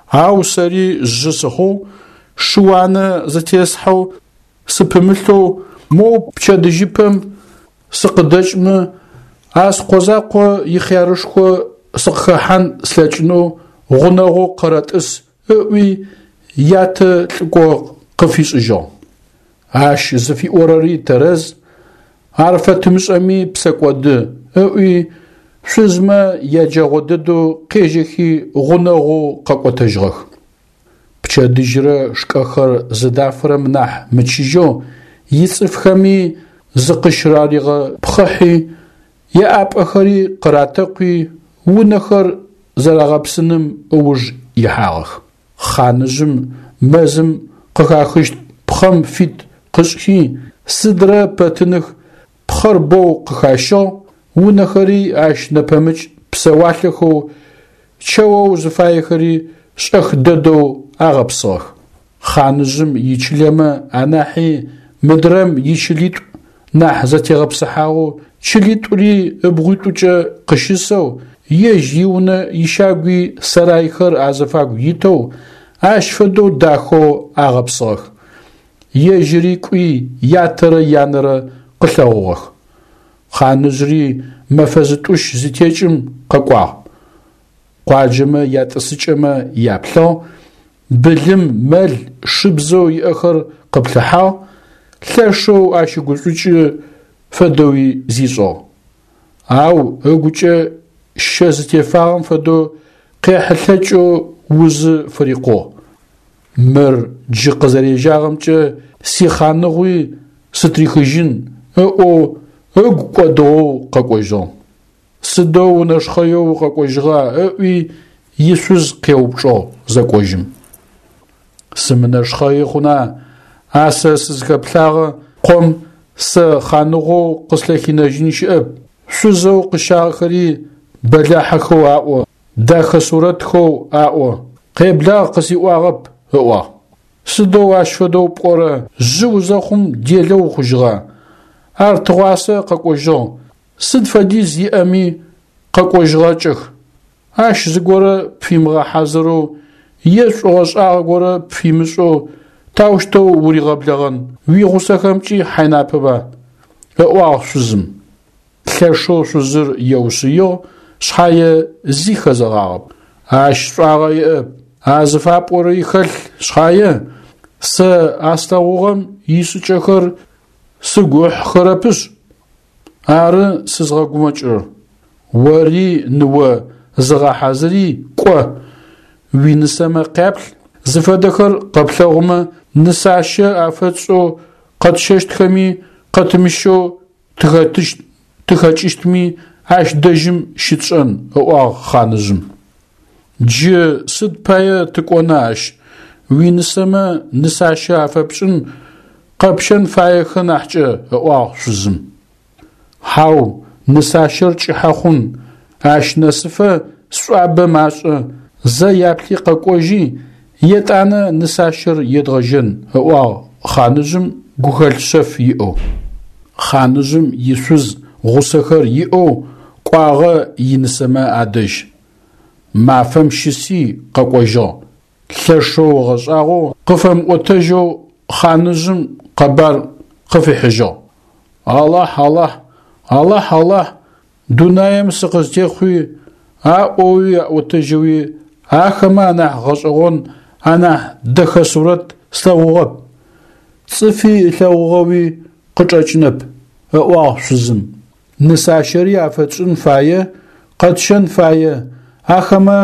ау сэри жъы сыхъугъ, шы-уанэ зытесхьэу сыпымылъэу моу пчэдыжьыпэм сыкъыдэкӏмэ, а скъо закъо ихъярышхо сыкъыхэхьан слъэкӏынэу гъунэгъоу къэрэтӏыс ыӏуи ятэ лӏыкӏо къыфишӏыжьыгъ. Ащ зыфиӏорэри тэрэз, ар фэтымышӏэми псэкӏоды, ыӏуи шъузмэ яджэгъо дэдэу къежьэхи гъунэгъоу къэкӏотэжьыгъэх. Пчэдыжьрэ шкӏэхэр зыдафырэм нахь мычыжьэу ицӏыфхэми зыкъыщыраригъэпхъыхьи, яӏапӏэхэри къыратэкъуи, унэхэр зэрагъэпсыным ыуж ихьагъэх. Хъаныжъым мэзым къыхахыщт пхъэм фит къышӏхи, сыдрэ пэтыных пхъэр боу къыхащыгъ, унэхэри ащ нэпэмыкӏ псэуалъэхэу чэоу зыфаехэри шӏэх дэдэу агъэпсыгъэх. Хъаныжъым ичылэмэ анахьи мыдрэм ичылитӏу нахь зэтегъэпсыхьагъэу чылитӏури ыбгъуитӏукӏэ къыщысэу, ежь иунэ ищагуи сарайхэр азыфагу итэу, ащ фэдэу дахэу агъэпсыгъэх. Ежьыри кӏуи ятэрэ янэрэ къылъэгъугъэх. Хъаныжъри мэфэ зытӏущ зытекӏым къэкӏуагъ. Къуаджэмэ ятӏысыкӏэмэ яплъыгъ, былым, мэл, шыбзэу иӏэхэр къыплъыхьагъ, лъэшэу ащыгушӏукӏы фэдэуи зишӏыгъ. Ау ыгукӏэ щэ зытефагъэм фэдэу къехьылъэкӏэу узы фырикъугъ. Мыр джы къызэрежьагъэмкӏэ сихъаныгъуи сытрихыжьын ыӏоу ыгу кӏодыгъэу къэкӏожьыгъ. Сыдэу унэшхъэеу укъэкӏожьыгъа ыӏуи ишъуз къеупчӏыгъ зэкӏожьым. Сымынэшхъэи хъуна, а сэ сызхэплъагъэ къом сэ хъаныгъоу къыслъэхинэжьын щыӏэп, шъузэу къыщагъэхэри бэлахьэхэу аӏо, дахэ сурэтхэу аӏо, къеблагъ къысиӏуагъэп, ыӏуагъ. Сыдэу ащ фэдэу пӏорэ, жъы узэхъум делэ ухъужьыгъа? Ар тыгъуасэ къэкӏожьыгъ, сыд фэдиз иӏэми къэкӏожьыгъэкӏэх. Ащ зыгорэ пфимыгъэхьазырэу е шӏугъэшӏагъэ горэ пфимышӏэу таущтэу уригъэблэгъэн, уигъусэхэмкӏи хьайнапэба? Ыӏуагъ шъузым. Лъэшэу шъузыр еушъыигъ, шъхьае зи хэзэгъагъэп. Ащ шӏуагъэ иӏэп, а зыфапӏорэри хэлъ шъхьае, сэ а слъэгъугъэм ишӏыкӏэхэр сыгу ыхьыхэрэпышъ, ары сызгъэгумэкӏырэр. Ори, ныо, зыгъэхьазыри, кӏо, уинысэмэ къяплъ, зыфэдэхэр къэплъэгъумэ, нысащэ афэтшӏэу къэтщэщтхэми къэтымыщэу тыхэтыщт тыхэкӏыщтми ащ дэжьым щытшӏэн, ыӏуагъ хъаныжъым. Джы сыд пае тыкӏона ащ, уинысэмэ нысащэ афэпшӏын, къэпщэн фаехэ нахькӏэ, ыӏуагъ шъузым. Хьау, нысащэр кӏыхьэ хъун, ащ нэсыфэ сшӏуабэ машӏэ, зэ яплъи къэкӏожьи, етӏанэ нысащэр едгъэжьэн, ыӏуагъ хъаныжъым гухэлъ шъэф иӏэу. Хъаныжъым ишъуз гъусэхэр иӏэу кӏуагъэ инысэмэ адэжь. Мафэм щыси къэкӏожьыгъ. Лъэшэу ыгъэшӏагъоу къыфэмыӏотэжьэу хъаныжъым къэбар къыфихьыжьыгъ. Алахь, Алахь, Алахь, Алахь, дунаим сыкъызтехъуи, аӏоуи аӏотэжьэуи ахэмэ анахь гъэшӏэгъон, анахь дэхэ сурэт слъэгъугъэп. Цӏыфи ылъэгъугъэуи къычӏэкӏынэп, ыӏуагъ шъузым. Нысащэри афэтшӏын фае, къэтщэн фае, ахэмэ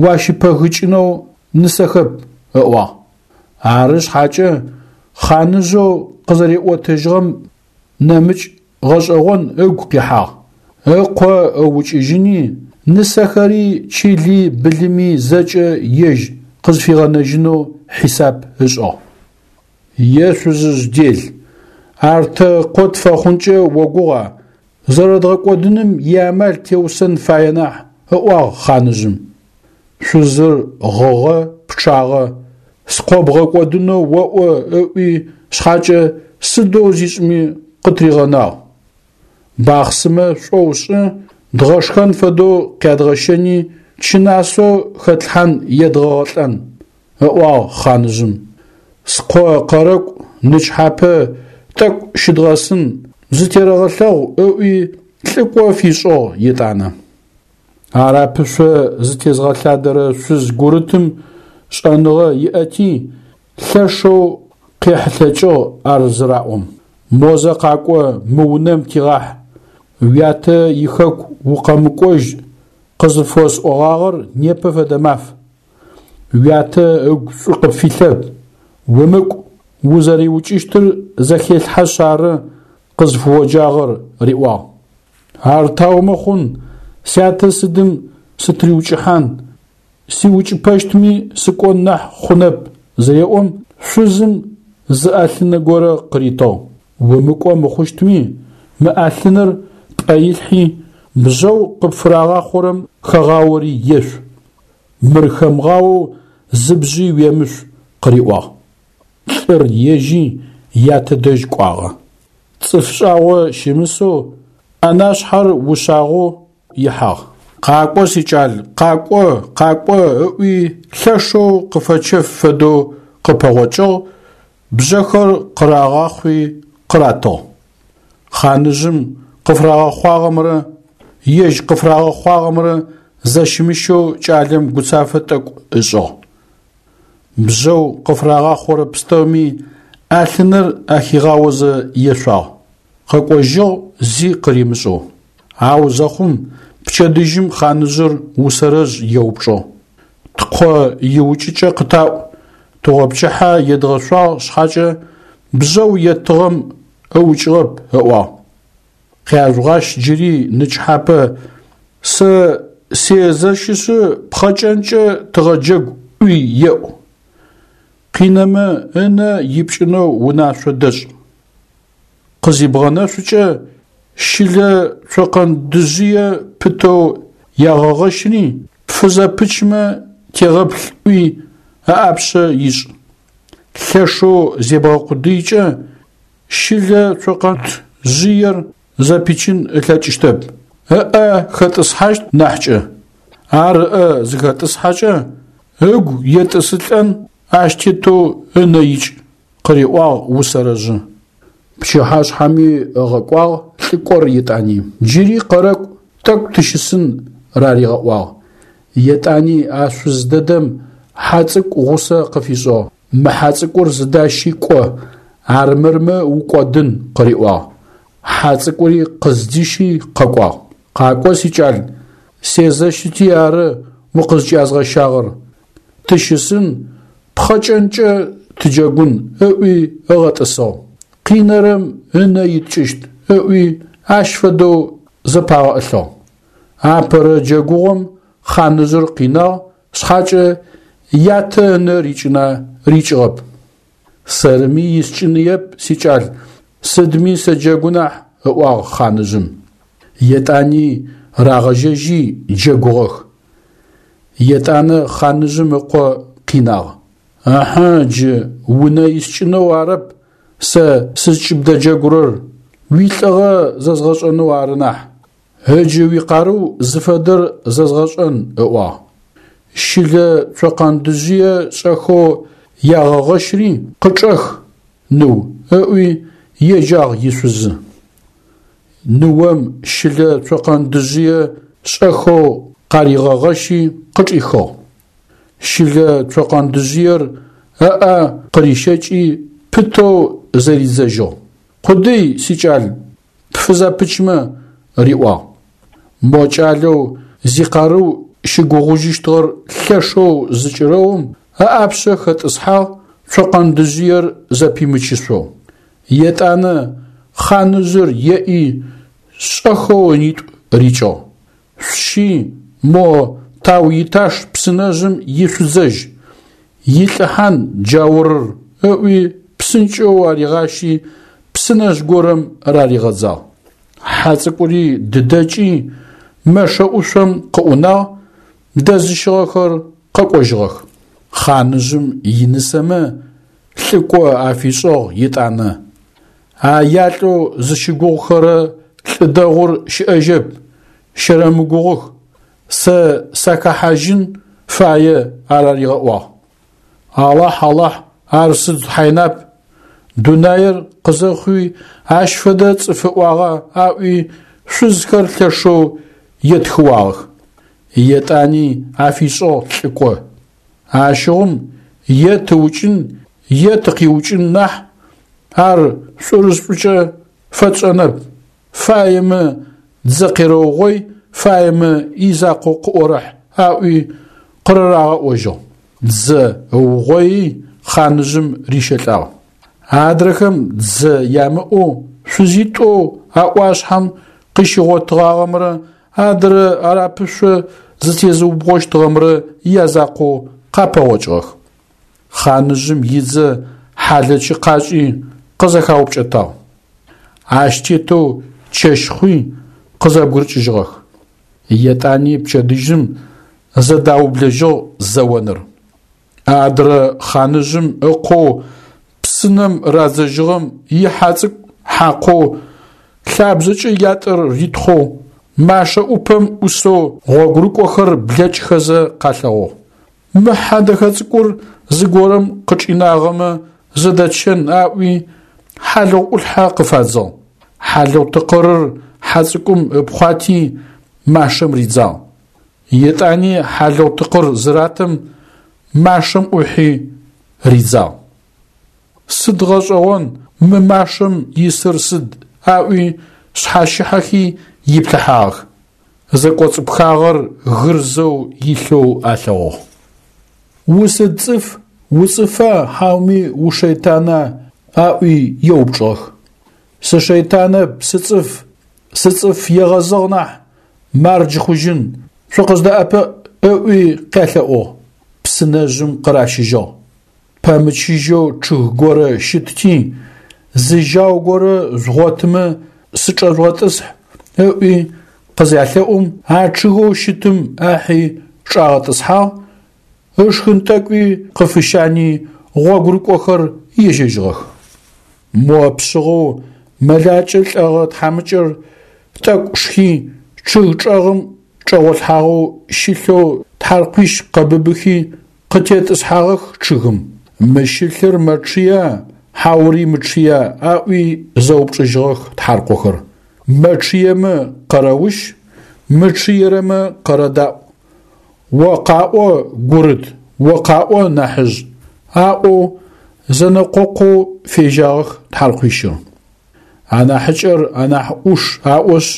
уащыпэгыкӏынэу нысэхэп, ыӏуагъ. Ары шъхьакӏэ, хъаныжъэу къызэриӏотэжьыгъэм нэмыкӏ гъэшӏэгъон ыгу къихьагъ. Ыкъо ыукӏыжьыни, нысэхэри чыли былыми зэкӏэ ежь къызфигъэнэжьынэу хьисап ышӏыгъ. Е шъузыжъ дел, ар тэ къо тфэхъункӏэ огугъа, зэрэдгъэкӏодыным иамал теусэн фае нахь, ыӏуагъ хъаныжъым. Шъузыр гъыгъэ, пчъагъэ, скъо бгъэкӏодынэу оӏо ыӏуи шъхьакӏэ сыдэу зишӏми къытыригъэнагъ. Бахъсымэ шӏоу шӏы, дгъэшхэн фэдэу къядгъэщэни чынасэу хэтлъхьан едгъэгъэлӏэн, ыӏуагъ хъаныжъым. Скъо къэрэкӏу нычхьапэ тӏэкӏу щыдгъэсын, зытерэгъэлъэгъу ыӏуи лӏыкӏо фишӏыгъ етӏанэ. Арапышъо зытезгъэлъадэрэ шъуз гурытым шӏэныгъэ иӏэти, лъэшэу къехьылъэкӏыгъ ар зыраӏом. Мозэ къакӏо, мы унэм тигъахь, уятэ ихэку укъэмыкӏожь къызыфосӏогъагъэр непэ фэдэ маф. Уятэ ыгу шӏу къыпфилъэп, умыкӏу, узэриукӏыщтыр зэхелъхьэшъ ары къызфыоджагъэр, риӏуагъ. Ар таумэ хъун, сятэ сыдым сытыриукӏыхьан, сиукӏыпэщтми сыкӏон нахь хъунэп зыреӏом, шъузым зы ӏэлъынэ горэ къыритыгъ. Умыкӏо мыхъущтми, мы ӏэлъыныр пӏэ илъхьи, бжьэу къыпфырагъахъорэм хэгъаори ешъу. Мыр хэмыгъаоу зы бжьи уемышъу, къыриӏуагъ. Лӏыр ежьи ятэ дэжь кӏуагъэ. Цӏыф шӏагъо щымысэу, ӏэнашъхьэр ушъагъэу ихьагъ. Къакӏо, сикӏал, къакӏо, къакӏо, ыӏуи лъэшэу къыфэчэф фэдэу къыпэгъокӏыгъ, бжьэхэр къырагъахъуи къыратыгъ. Хъаныжъым къыфырагъэхъуагъэмрэ ежь къыфырагъэхъуагъэмрэ зэщымыщэу кӏалэм гуцафэ тӏэкӏу ышӏыгъ. Бжьэу къыфырагъахъорэ пстэуми ӏэлъыныр ахигъаозэ ешъуагъ. Къэкӏожьыгъ зи къыримышӏэу. Ау зэхъум пчэдыжьым хъаныжъыр Усэрэжъ еупчӏыгъ. Ткъо иукӏыкӏэ къытаӏу, тыгъопчыхьэ едгъэшъуагъ шъхьакӏэ, бжъэу еттыгъэм ыукӏыгъэп, ыӏуагъ. Къяжъугъащ джыри нычхьапэ, сэ сезэщышъы пхъэкӏэнкӏэ тыгъэджэгу ӏуи еӏу. Къинэмэ ынэ ипкӏынэу унашъо дэшӏ. Къызибгъэнэшъукӏэ щылэ цокъэндыжъые пытэу ягъэгъэщри, пфызэпычмэ тегъэплъ ӏуи ыӏапшъэ ишӏ. Лъэшэу зебгъэкъудыикӏэ щылэ цокъэндыжъыер зэпичын ылъэкӏыщтэп, ыӏэ хэтӏысхьащт нахькӏэ. Ар ыӏэ зыхэтӏысхьэкӏэ, ыгу етӏысылӏэн ащ тетэу ынэ икӏ, къыриӏуагъ Усэрэжъы. Пчыхьашъхьэми ыгъэкӏуагъ лӏыкӏор етӏани. Джыри къэрэкӏу, тӏэкӏу тыщысын раригъэӏуагъ. Етӏани а шъуз дэдэм хьэ цӏыкӏу гъусэ къыфишӏыгъ. Мы хьэ цӏыкӏур зыдащи кӏо, армырмэ укӏодын, къыриӏуагъ. Хьэ цӏыкӏури къыздищи къэкӏуагъ. Къакӏо, сикӏал, сезэщыти ары укъызкӏязгъэщагъэр. Тыщысын, пхъэкӏэнкӏэ тыджэгун, ыӏуи ыгъэтӏысыгъ. Къинэрэм ынэ иткӏыщт, ыӏуи ащ фэдэу зэпагъэӏылъыгъ. Апэрэ джэгугъом хъаныжъыр къинагъ шъхьакӏэ ятэ ынэ рикӏына рикӏыгъэп. Сэрми искӏыныеп, сикӏал, сыдми сэджэгу нахь, ыӏуагъ хъаныжъым. Етӏани рагъэжьэжьи джэгугъэх. Етӏанэ хъаныжъым ыкъо къинагъ. Ыхьы, джы унэ искӏынэу арэп сэ сызкӏыбдэджэгурэр, уилӏыгъэ зэзгъэшӏэнэу ары нахь. Ыджы уикъарыу зыфэдэр зэзгъэшӏэн, ыӏуагъ. Щылэ цокъэндыжъые шӏэхэу ягъэгъэщри къычӏэх, ныу, ыӏуи еджагъ ишъузы. Ныом щылэ цокъэндыжъые шӏэхэу къаригъэгъэщи къычӏихыгъ. Щылэ цокъэндыжъыер ыӏэ къырищэкӏи пытэу зэридзэжьыгъ. Къудый, сикӏал, пфызэпычмэ, риӏуагъ. Мо кӏалэу зикъарыу щыгугъужьыщтыгъэр лъэшэу зыкӏырэум ыӏапшъэ хэтӏысхьагъ цокъэндыжъыер зэпимычышъоу. Етӏанэ хъаныжъыр еӏи шӏэхэу ынитӏу рикӏыгъ. Шъущи мо Тау-Иташ псынэжъым ишъудзэжь, илӏыхьан джаурыр, ыӏуи псынкӏэу аригъащи псынэжъ горэм раригъэдзагъ. Хьэ цӏыкӏури дыдэкӏи мэшэ ӏушъом къыӏунагъ, дэзыщыгъэхэр къэкӏожьыгъэх. Хъаныжъым инысэмэ лӏыкӏо афишӏыгъ етӏанэ. А ялӏэу зыщыгугъухэрэ лӏы дэгъур щыӏэжьэп, щэрэмыгугъых, сэ сахэхьажьын фае араригъэӏуагъ. Алахь, Алахь, ар сыд хьайнап, дунаир къызэхъуи ащ фэдэ цӏыф ыӏуагъа аӏуи шъузхэр лъэшэу етхыуагъэх. Етӏани афишӏыгъ лӏыкӏо. Ащыгъум е тыукӏын, е тыкъиукӏын нахь, ар шӏурышӏукӏэ фэтшӏэнэп, фаемэ дзэ къерэугъой, фаемэ изакъоу къыӏорэхь, аӏуи къырырагъэӏожьыгъ. Дзэ ыугъои хъаныжъым рищэлӏагъ. Адрэхэм дзэ ямыӏэу шъузитӏоу а ӏуашъхьэм къыщигъотыгъагъэмрэ адрэ арапышъо зытезыубгъощтыгъэмрэ язакъоу къапэгъокӏыгъэх. Хъаныжъым идзэ хьалэчы къашӏи къызэхаупкӏэтагъ. Ащ тетэу чэщ хъуи къызэбгырыкӏыжьыгъэх. Етӏани пчэдыжьым зэдаублэжьыгъ зэоныр. Адрэ хъаныжъым ыкъоу псынэм радзэжьыгъэм ихьэ цӏыкӏу хьакъоу лъабжъэкӏэ ятӏэр ритхъоу, машэ ӏупэм ӏусэу гъогурыкӏохэр блэкӏхэзэ къалъэгъугъ. Мы хьэ дэхэ цӏыкӏур зыгорэм къычӏинагъэмэ зэдэтщэн аӏуи хьалыгъу ӏулъхьэ къыфадзыгъ. Хьалыгъу тыкъырыр хьэ цӏыкӏум ыпхъуати машэм ридзагъ. Етӏани хьалыгъу тыкъыр зыратым машэм ӏухьи ридзагъ. Сыд гъэшӏэгъон мы машэм исыр сыд аӏуи шъхьащыхьэхи иплъыхьагъэх. Зэкӏоцӏыпхагъэр гырзэу илъэу алъэгъугъ. Усыд цӏыф, уцӏыфа хьауми ушэйтана? – аӏуи еупчӏыгъэх. Сышэйтанэп, сыцӏыф, сыцӏыф егъэзыгъ нахь, мардж хъужьын, шъукъыздэӏэпыӏ, – ыӏуи къялъэӏугъ. Псынэжъым къыращыжьыгъ. Пэмычыжьэу чъыг горэ щытти, зы жьау горэ жъугъотымэ сычӏэжъугъэтӏысхь, ыӏуи къызялъэӏум, а чъыгэу щытым ахьи чӏагъэтӏысхьагъ, ышхын тӏэкӏуи къыфыщани гъогурыкӏохэр ежьэжьыгъэх. Мо пшъыгъэу мэлакӏэ лӏэгъэ тхьамыкӏэр тӏэкӏу шхи, чъыг чӏэгъым чӏэгъолъхьагъэу щылъэу тхьаркъуищ къэбыбыхи къытетӏысхьагъэх чъыгым. Мы щылъыр мэчъыя, хьаури мычъыя? Аӏуи зэупчӏыжьыгъэх тхьаркъохэр. Мэчъыемэ къэрэущ, мычъыерэмэ къэрэдаӏу. О къаӏо, гурыт, о къаӏо, нахьыжъ, аӏоу зэнэкъокъоу фежьагъэх тхьаркъуищыр. Анахьыкӏэр анахь ӏуш аӏошъ,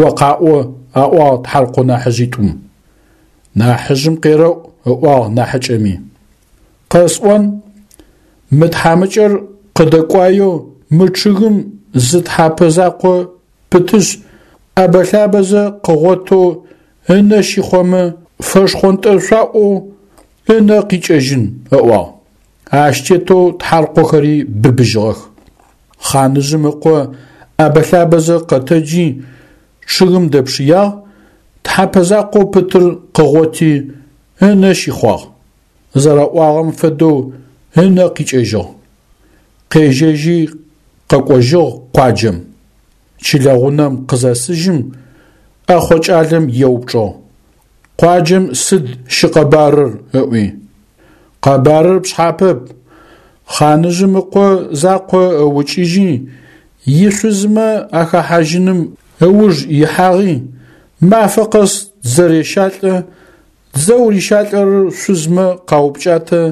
о къаӏо, аӏуагъ тхьаркъо нахьыжъитӏум. Нахьыжъым къерэӏу, ыӏуагъ нахьыкӏэми. Къэсӏон, мы тхьамыкӏэр къыдэкӏуаеу мы чъыгым зы тхьапэ закъо пытышъ, ӏэбэ-лъабэзэ къыгъотэу ынэ щихъомэ, фэшхъонтӏэшъуаӏоу ынэ къикӏэжьын, ыӏуагъ. Ащ тетэу тхьаркъохэри быбыжьыгъэх. Хъаныжъым ыкъо ӏэбэ-лъабэзэ къэтэджи чъыгым дэпшыягъ, тхьапэ закъоу пытыр къыгъоти ынэ щихъуагъ. Зэраӏуагъэм фэдэу ынэ къикӏэжьыгъ. Къежьэжьи къэкӏожьыгъ къуаджэм. Чылэгъунэм къызэсыжьым, ӏэхъо кӏалэм еупчӏыгъ: Къуаджэм сыд щыкъэбарыр? Ыӏуи. Къэбарыр пшъхьапэп. Хъаныжъым ыкъо закъо ыукӏыжьи, ишъузмэ ахэхьажьыным ыуж ихьагъи, мафэ къэс дзэ рещалӏэ, дзэу рищалӏэрэр шъузмэ къаупкӏатэ,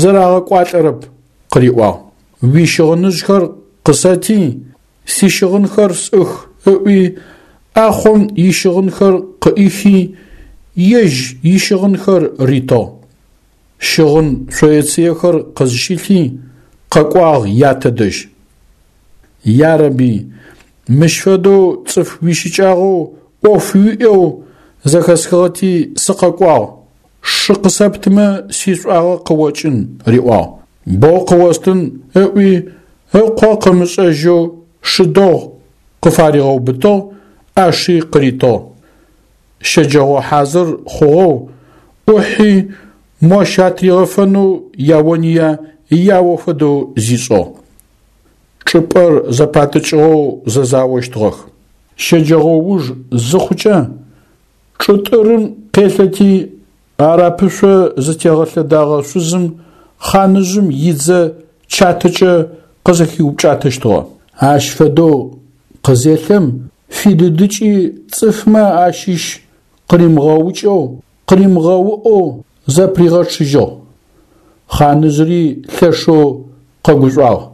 зэрагъэкӏуалӏэрэп, къыриӏуагъ. Уищыгъыныжъхэр къысэти, сищыгъынхэр сӏых, ыӏуи, ӏахъом ищыгъынхэр къыӏихи, ежь ищыгъынхэр ритыгъ. Щыгъын шъоецыехэр къызщилъи, къэкӏуагъ ятэ дэжь. Ярэби, мыщ фэдэу цӏыф уищыкӏагъэу ӏоф уиӏэу зэхэсхыгъэти сыкъэкӏуагъ, шы къысэптымэ сишӏуагъэ къыокӏын, риӏуагъ. Боу къыостын, ыӏуи, ыкъо къымышӏэжьэу шы дэгъу къыфаригъэубытыгъ, ӏаши къыритыгъ. Щэджэгъо хьазыр хъугъэу, ӏухьи мощ атригъэфэнэу яония яо фэдэу зишӏыгъ. Чӏыпӏэр зэпатӏыкӏыгъэу зэзаощтыгъэх. Щэджэгъоуж зыхъукӏэ, чӏытӏырым къелъэти, арапышъо зытегъэлъэдагъэ шъузым хъаныжъым идзэ чатэкӏэ къызэхиупкӏатэщтыгъэ. Ащ фэдэу къызелъэм, фидыдыкӏи цӏыфмэ ащыщ къыримыгъэукӏэу, къыримыгъэуӏэу зэпыригъэчъыжьыгъ. Хъаныжъыри лъэшэу къэгушӏуагъ.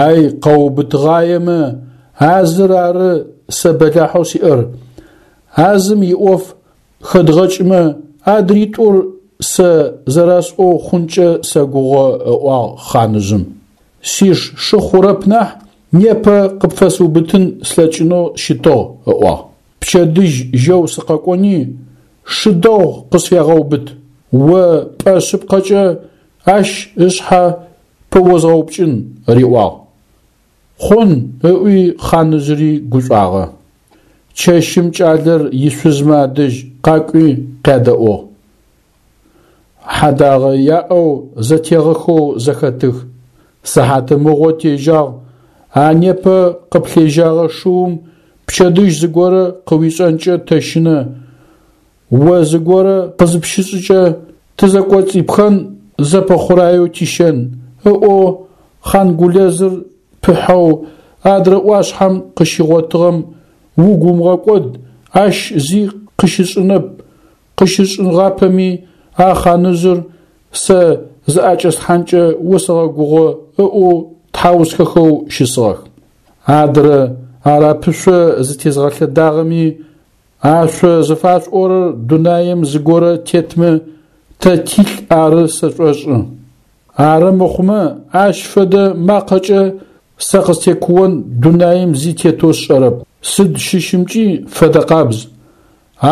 Ай къэубытыгъаемэ, а зыр ары сэ бэлахьэу сиӏэр. А зым иӏоф хэдгъэкӏымэ, адритӏур сэ зэрэсӏоу хъункӏэ сэгугъэ, ыӏуагъ хъаныжъым. Сиш шы хъурэп нахь, непэ къыпфэсыубытын слъэкӏынэу щытыгъ, ыӏуагъ. Пчэдыжь жьэу сыкъэкӏони, шы дэгъу къысфегъэубыт, о пӏэ шъыпкъэкӏэ ащ ышъхьэ пыозгъэупкӏын, риӏуагъ. Хъун, ыӏуи хъаныжъыри гушӏуагъэ. Чэщым кӏалэр ишъузмэ адэжь къакӏуи къядэӏугъ. Хьэдагъэ яӏэу зэтегъэхэу зэхэтых. Сыхьатымыгъо тежьагъ, а непэ къыплъежьагъэ шыум пчэдыжь зыгорэ къыуишӏэнкӏэ тэщынэ, о зыгорэ къызыпщышӏыкӏэ тызэкӏоцӏипхэн зэпэхъураеу тищэн, ыӏоу хъангулэзыр пыхьэу адрэ ӏуашъхьэм къыщигъотыгъэм угу умыгъэкӏод, ащ зи къыщышӏынэп, къыщышӏыгъапэми а хъаныжъыр сэ зыӏэкӏэсхьанкӏэ осэгъэгугъэ ыӏоу тхьаусхэхэу щысыгъэх. Адрэ арапышъо зытезгъэлъэдагъэми а шъо зыфашъуӏорэр дунаим зыгорэ тетмэ тэ тилӏ ары сэшӏошӏы. Ары мыхъумэ, ащ фэдэ макъэкӏэ сэ къыстекуон дунаим зи тетэу сшӏэрэп, сыд щыщымкӏи фэдэкъабз,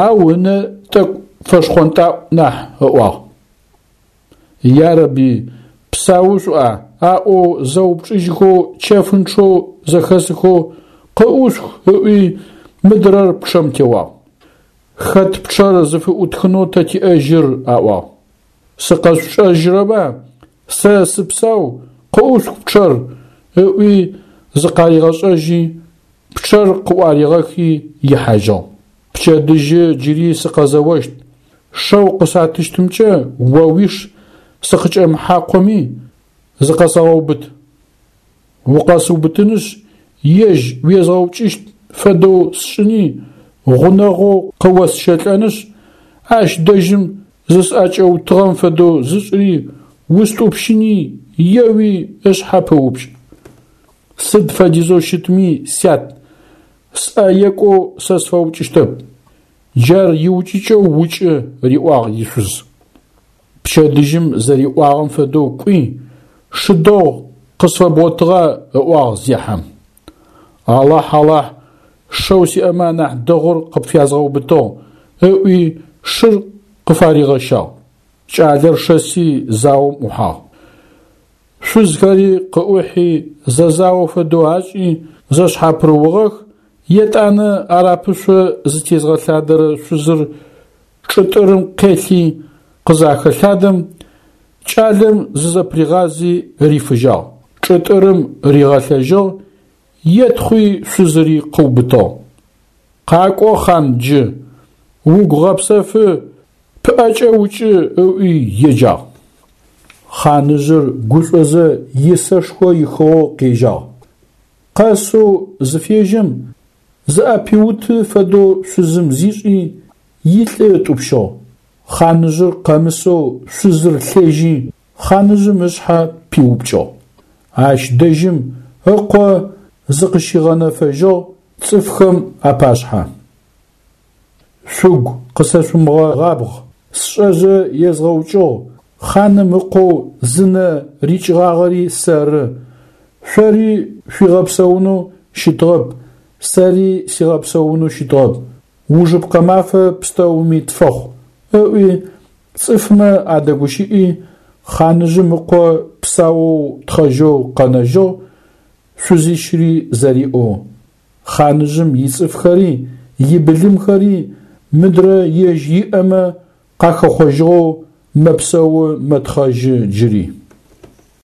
ау ынэ тӏэкӏу фэшхъонтӏаӏу нахь, ыӏуагъ. Ярэби, псау шъуӏа? Аӏоу зэупчӏыжьхэу чэфынчъэу зэхэсыхэу къыӏушъух ыӏуи мыдрэр пчъэм теуагъ. Хэт пчъэр зыфыӏутхынэу тэ тиӏэжьыр? Аӏуагъ. Сыкъэшъушӏэжьырэба? Сэ сыпсау, къыӏушъух пчъэр, ыӏуи зыкъаригъэшӏэжьи, пчъэр къыӏуаригъэхи ихьажьыгъ. Пчэдыжьы джыри сыкъэзэощт, шэу къысатыщтымкӏэ о уиш сыкъыкӏэмыхьакъоми, зыкъэсэгъэубыт. Укъэсыубытынышъ, ежь уезгъэукӏыщт фэдэу сшӏыни, гъунэгъоу къыосщэлӏэнышъ, ащ дэжьым зысӏэкӏэутыгъэм фэдэу зышӏыри, устӏупщыни, еуи ышъхьэ пыупкӏ. Сыд фэдизэу щытми, сят, сӏэ екӏоу сэ сфэукӏыщтэп. Джар иукӏыкӏэу укӏы, риӏуагъ ишъуз. Пчэдыжьым зэриӏуагъэм фэдэу кӏуи, шы дэгъу къысфэбгъотыгъа? Ыӏуагъ зехьэм. Алахь, Алахь, шэу сиӏэмэ анахь дэгъур къыпфязгъэубытыгъ, ыӏуи шыр къыфаригъэщагъ. Кӏалэр шэси заом ӏухьагъ. Шъузхэри къыӏухьи зэзао фэдэу ашӏи зэшъхьапырыугъэх, етӏанэ арапышъо зытезгъэлъадэрэ шъузыр чӏытӏырым къелъи къызахэлъадэм, кӏалэм зызэпыригъази рифыжьагъ, чӏытӏырым ригъэлъэжьыгъ, етхъуи шъузыри къыубытыгъ. Къакӏо, хъан, джы, угу гъэпсэфы, пыӏэкӏэ укӏы, ыӏуи еджагъ. Хъаныжъыр гушӏозэ исэшхо ихыгъэу къежьагъ. Къэсэу зыфежьэм, зыӏэпиуты фэдэу шъузым зишӏи, илӏы ытӏупщыгъ. Хъаныжъыр къэмысэу шъузыр лъежьи, хъаныжъым ышъхьэ пиупкӏыгъ. Ащ дэжьым ыкъо зыкъыщигъэнэфэжьыгъ цӏыфхэм апашъхьэ. Шъугу къысэшъумыгъабгъ, сшӏэзэ езгъэукӏыгъ, хъаным ыкъоу зынэ рикӏыгъагъэри сэры, шъори шъуигъэпсэунэу щытыгъэп, сэри сигъэпсэунэу щытыгъэп, ужыпкъэ мафэ пстэуми тфэхъу, ыӏуи цӏыфмэ адэгущыӏи, хъаныжъым ыкъо псаоу тхъэжьэу къэнэжьыгъ, шъузищыри зэриӏэу. Хъаныжъым ицӏыфхэри, ибылымхэри мыдрэ ежь иӏэмэ къахэхъожьыгъэу мэпсэу мэтхъэжьы джыри.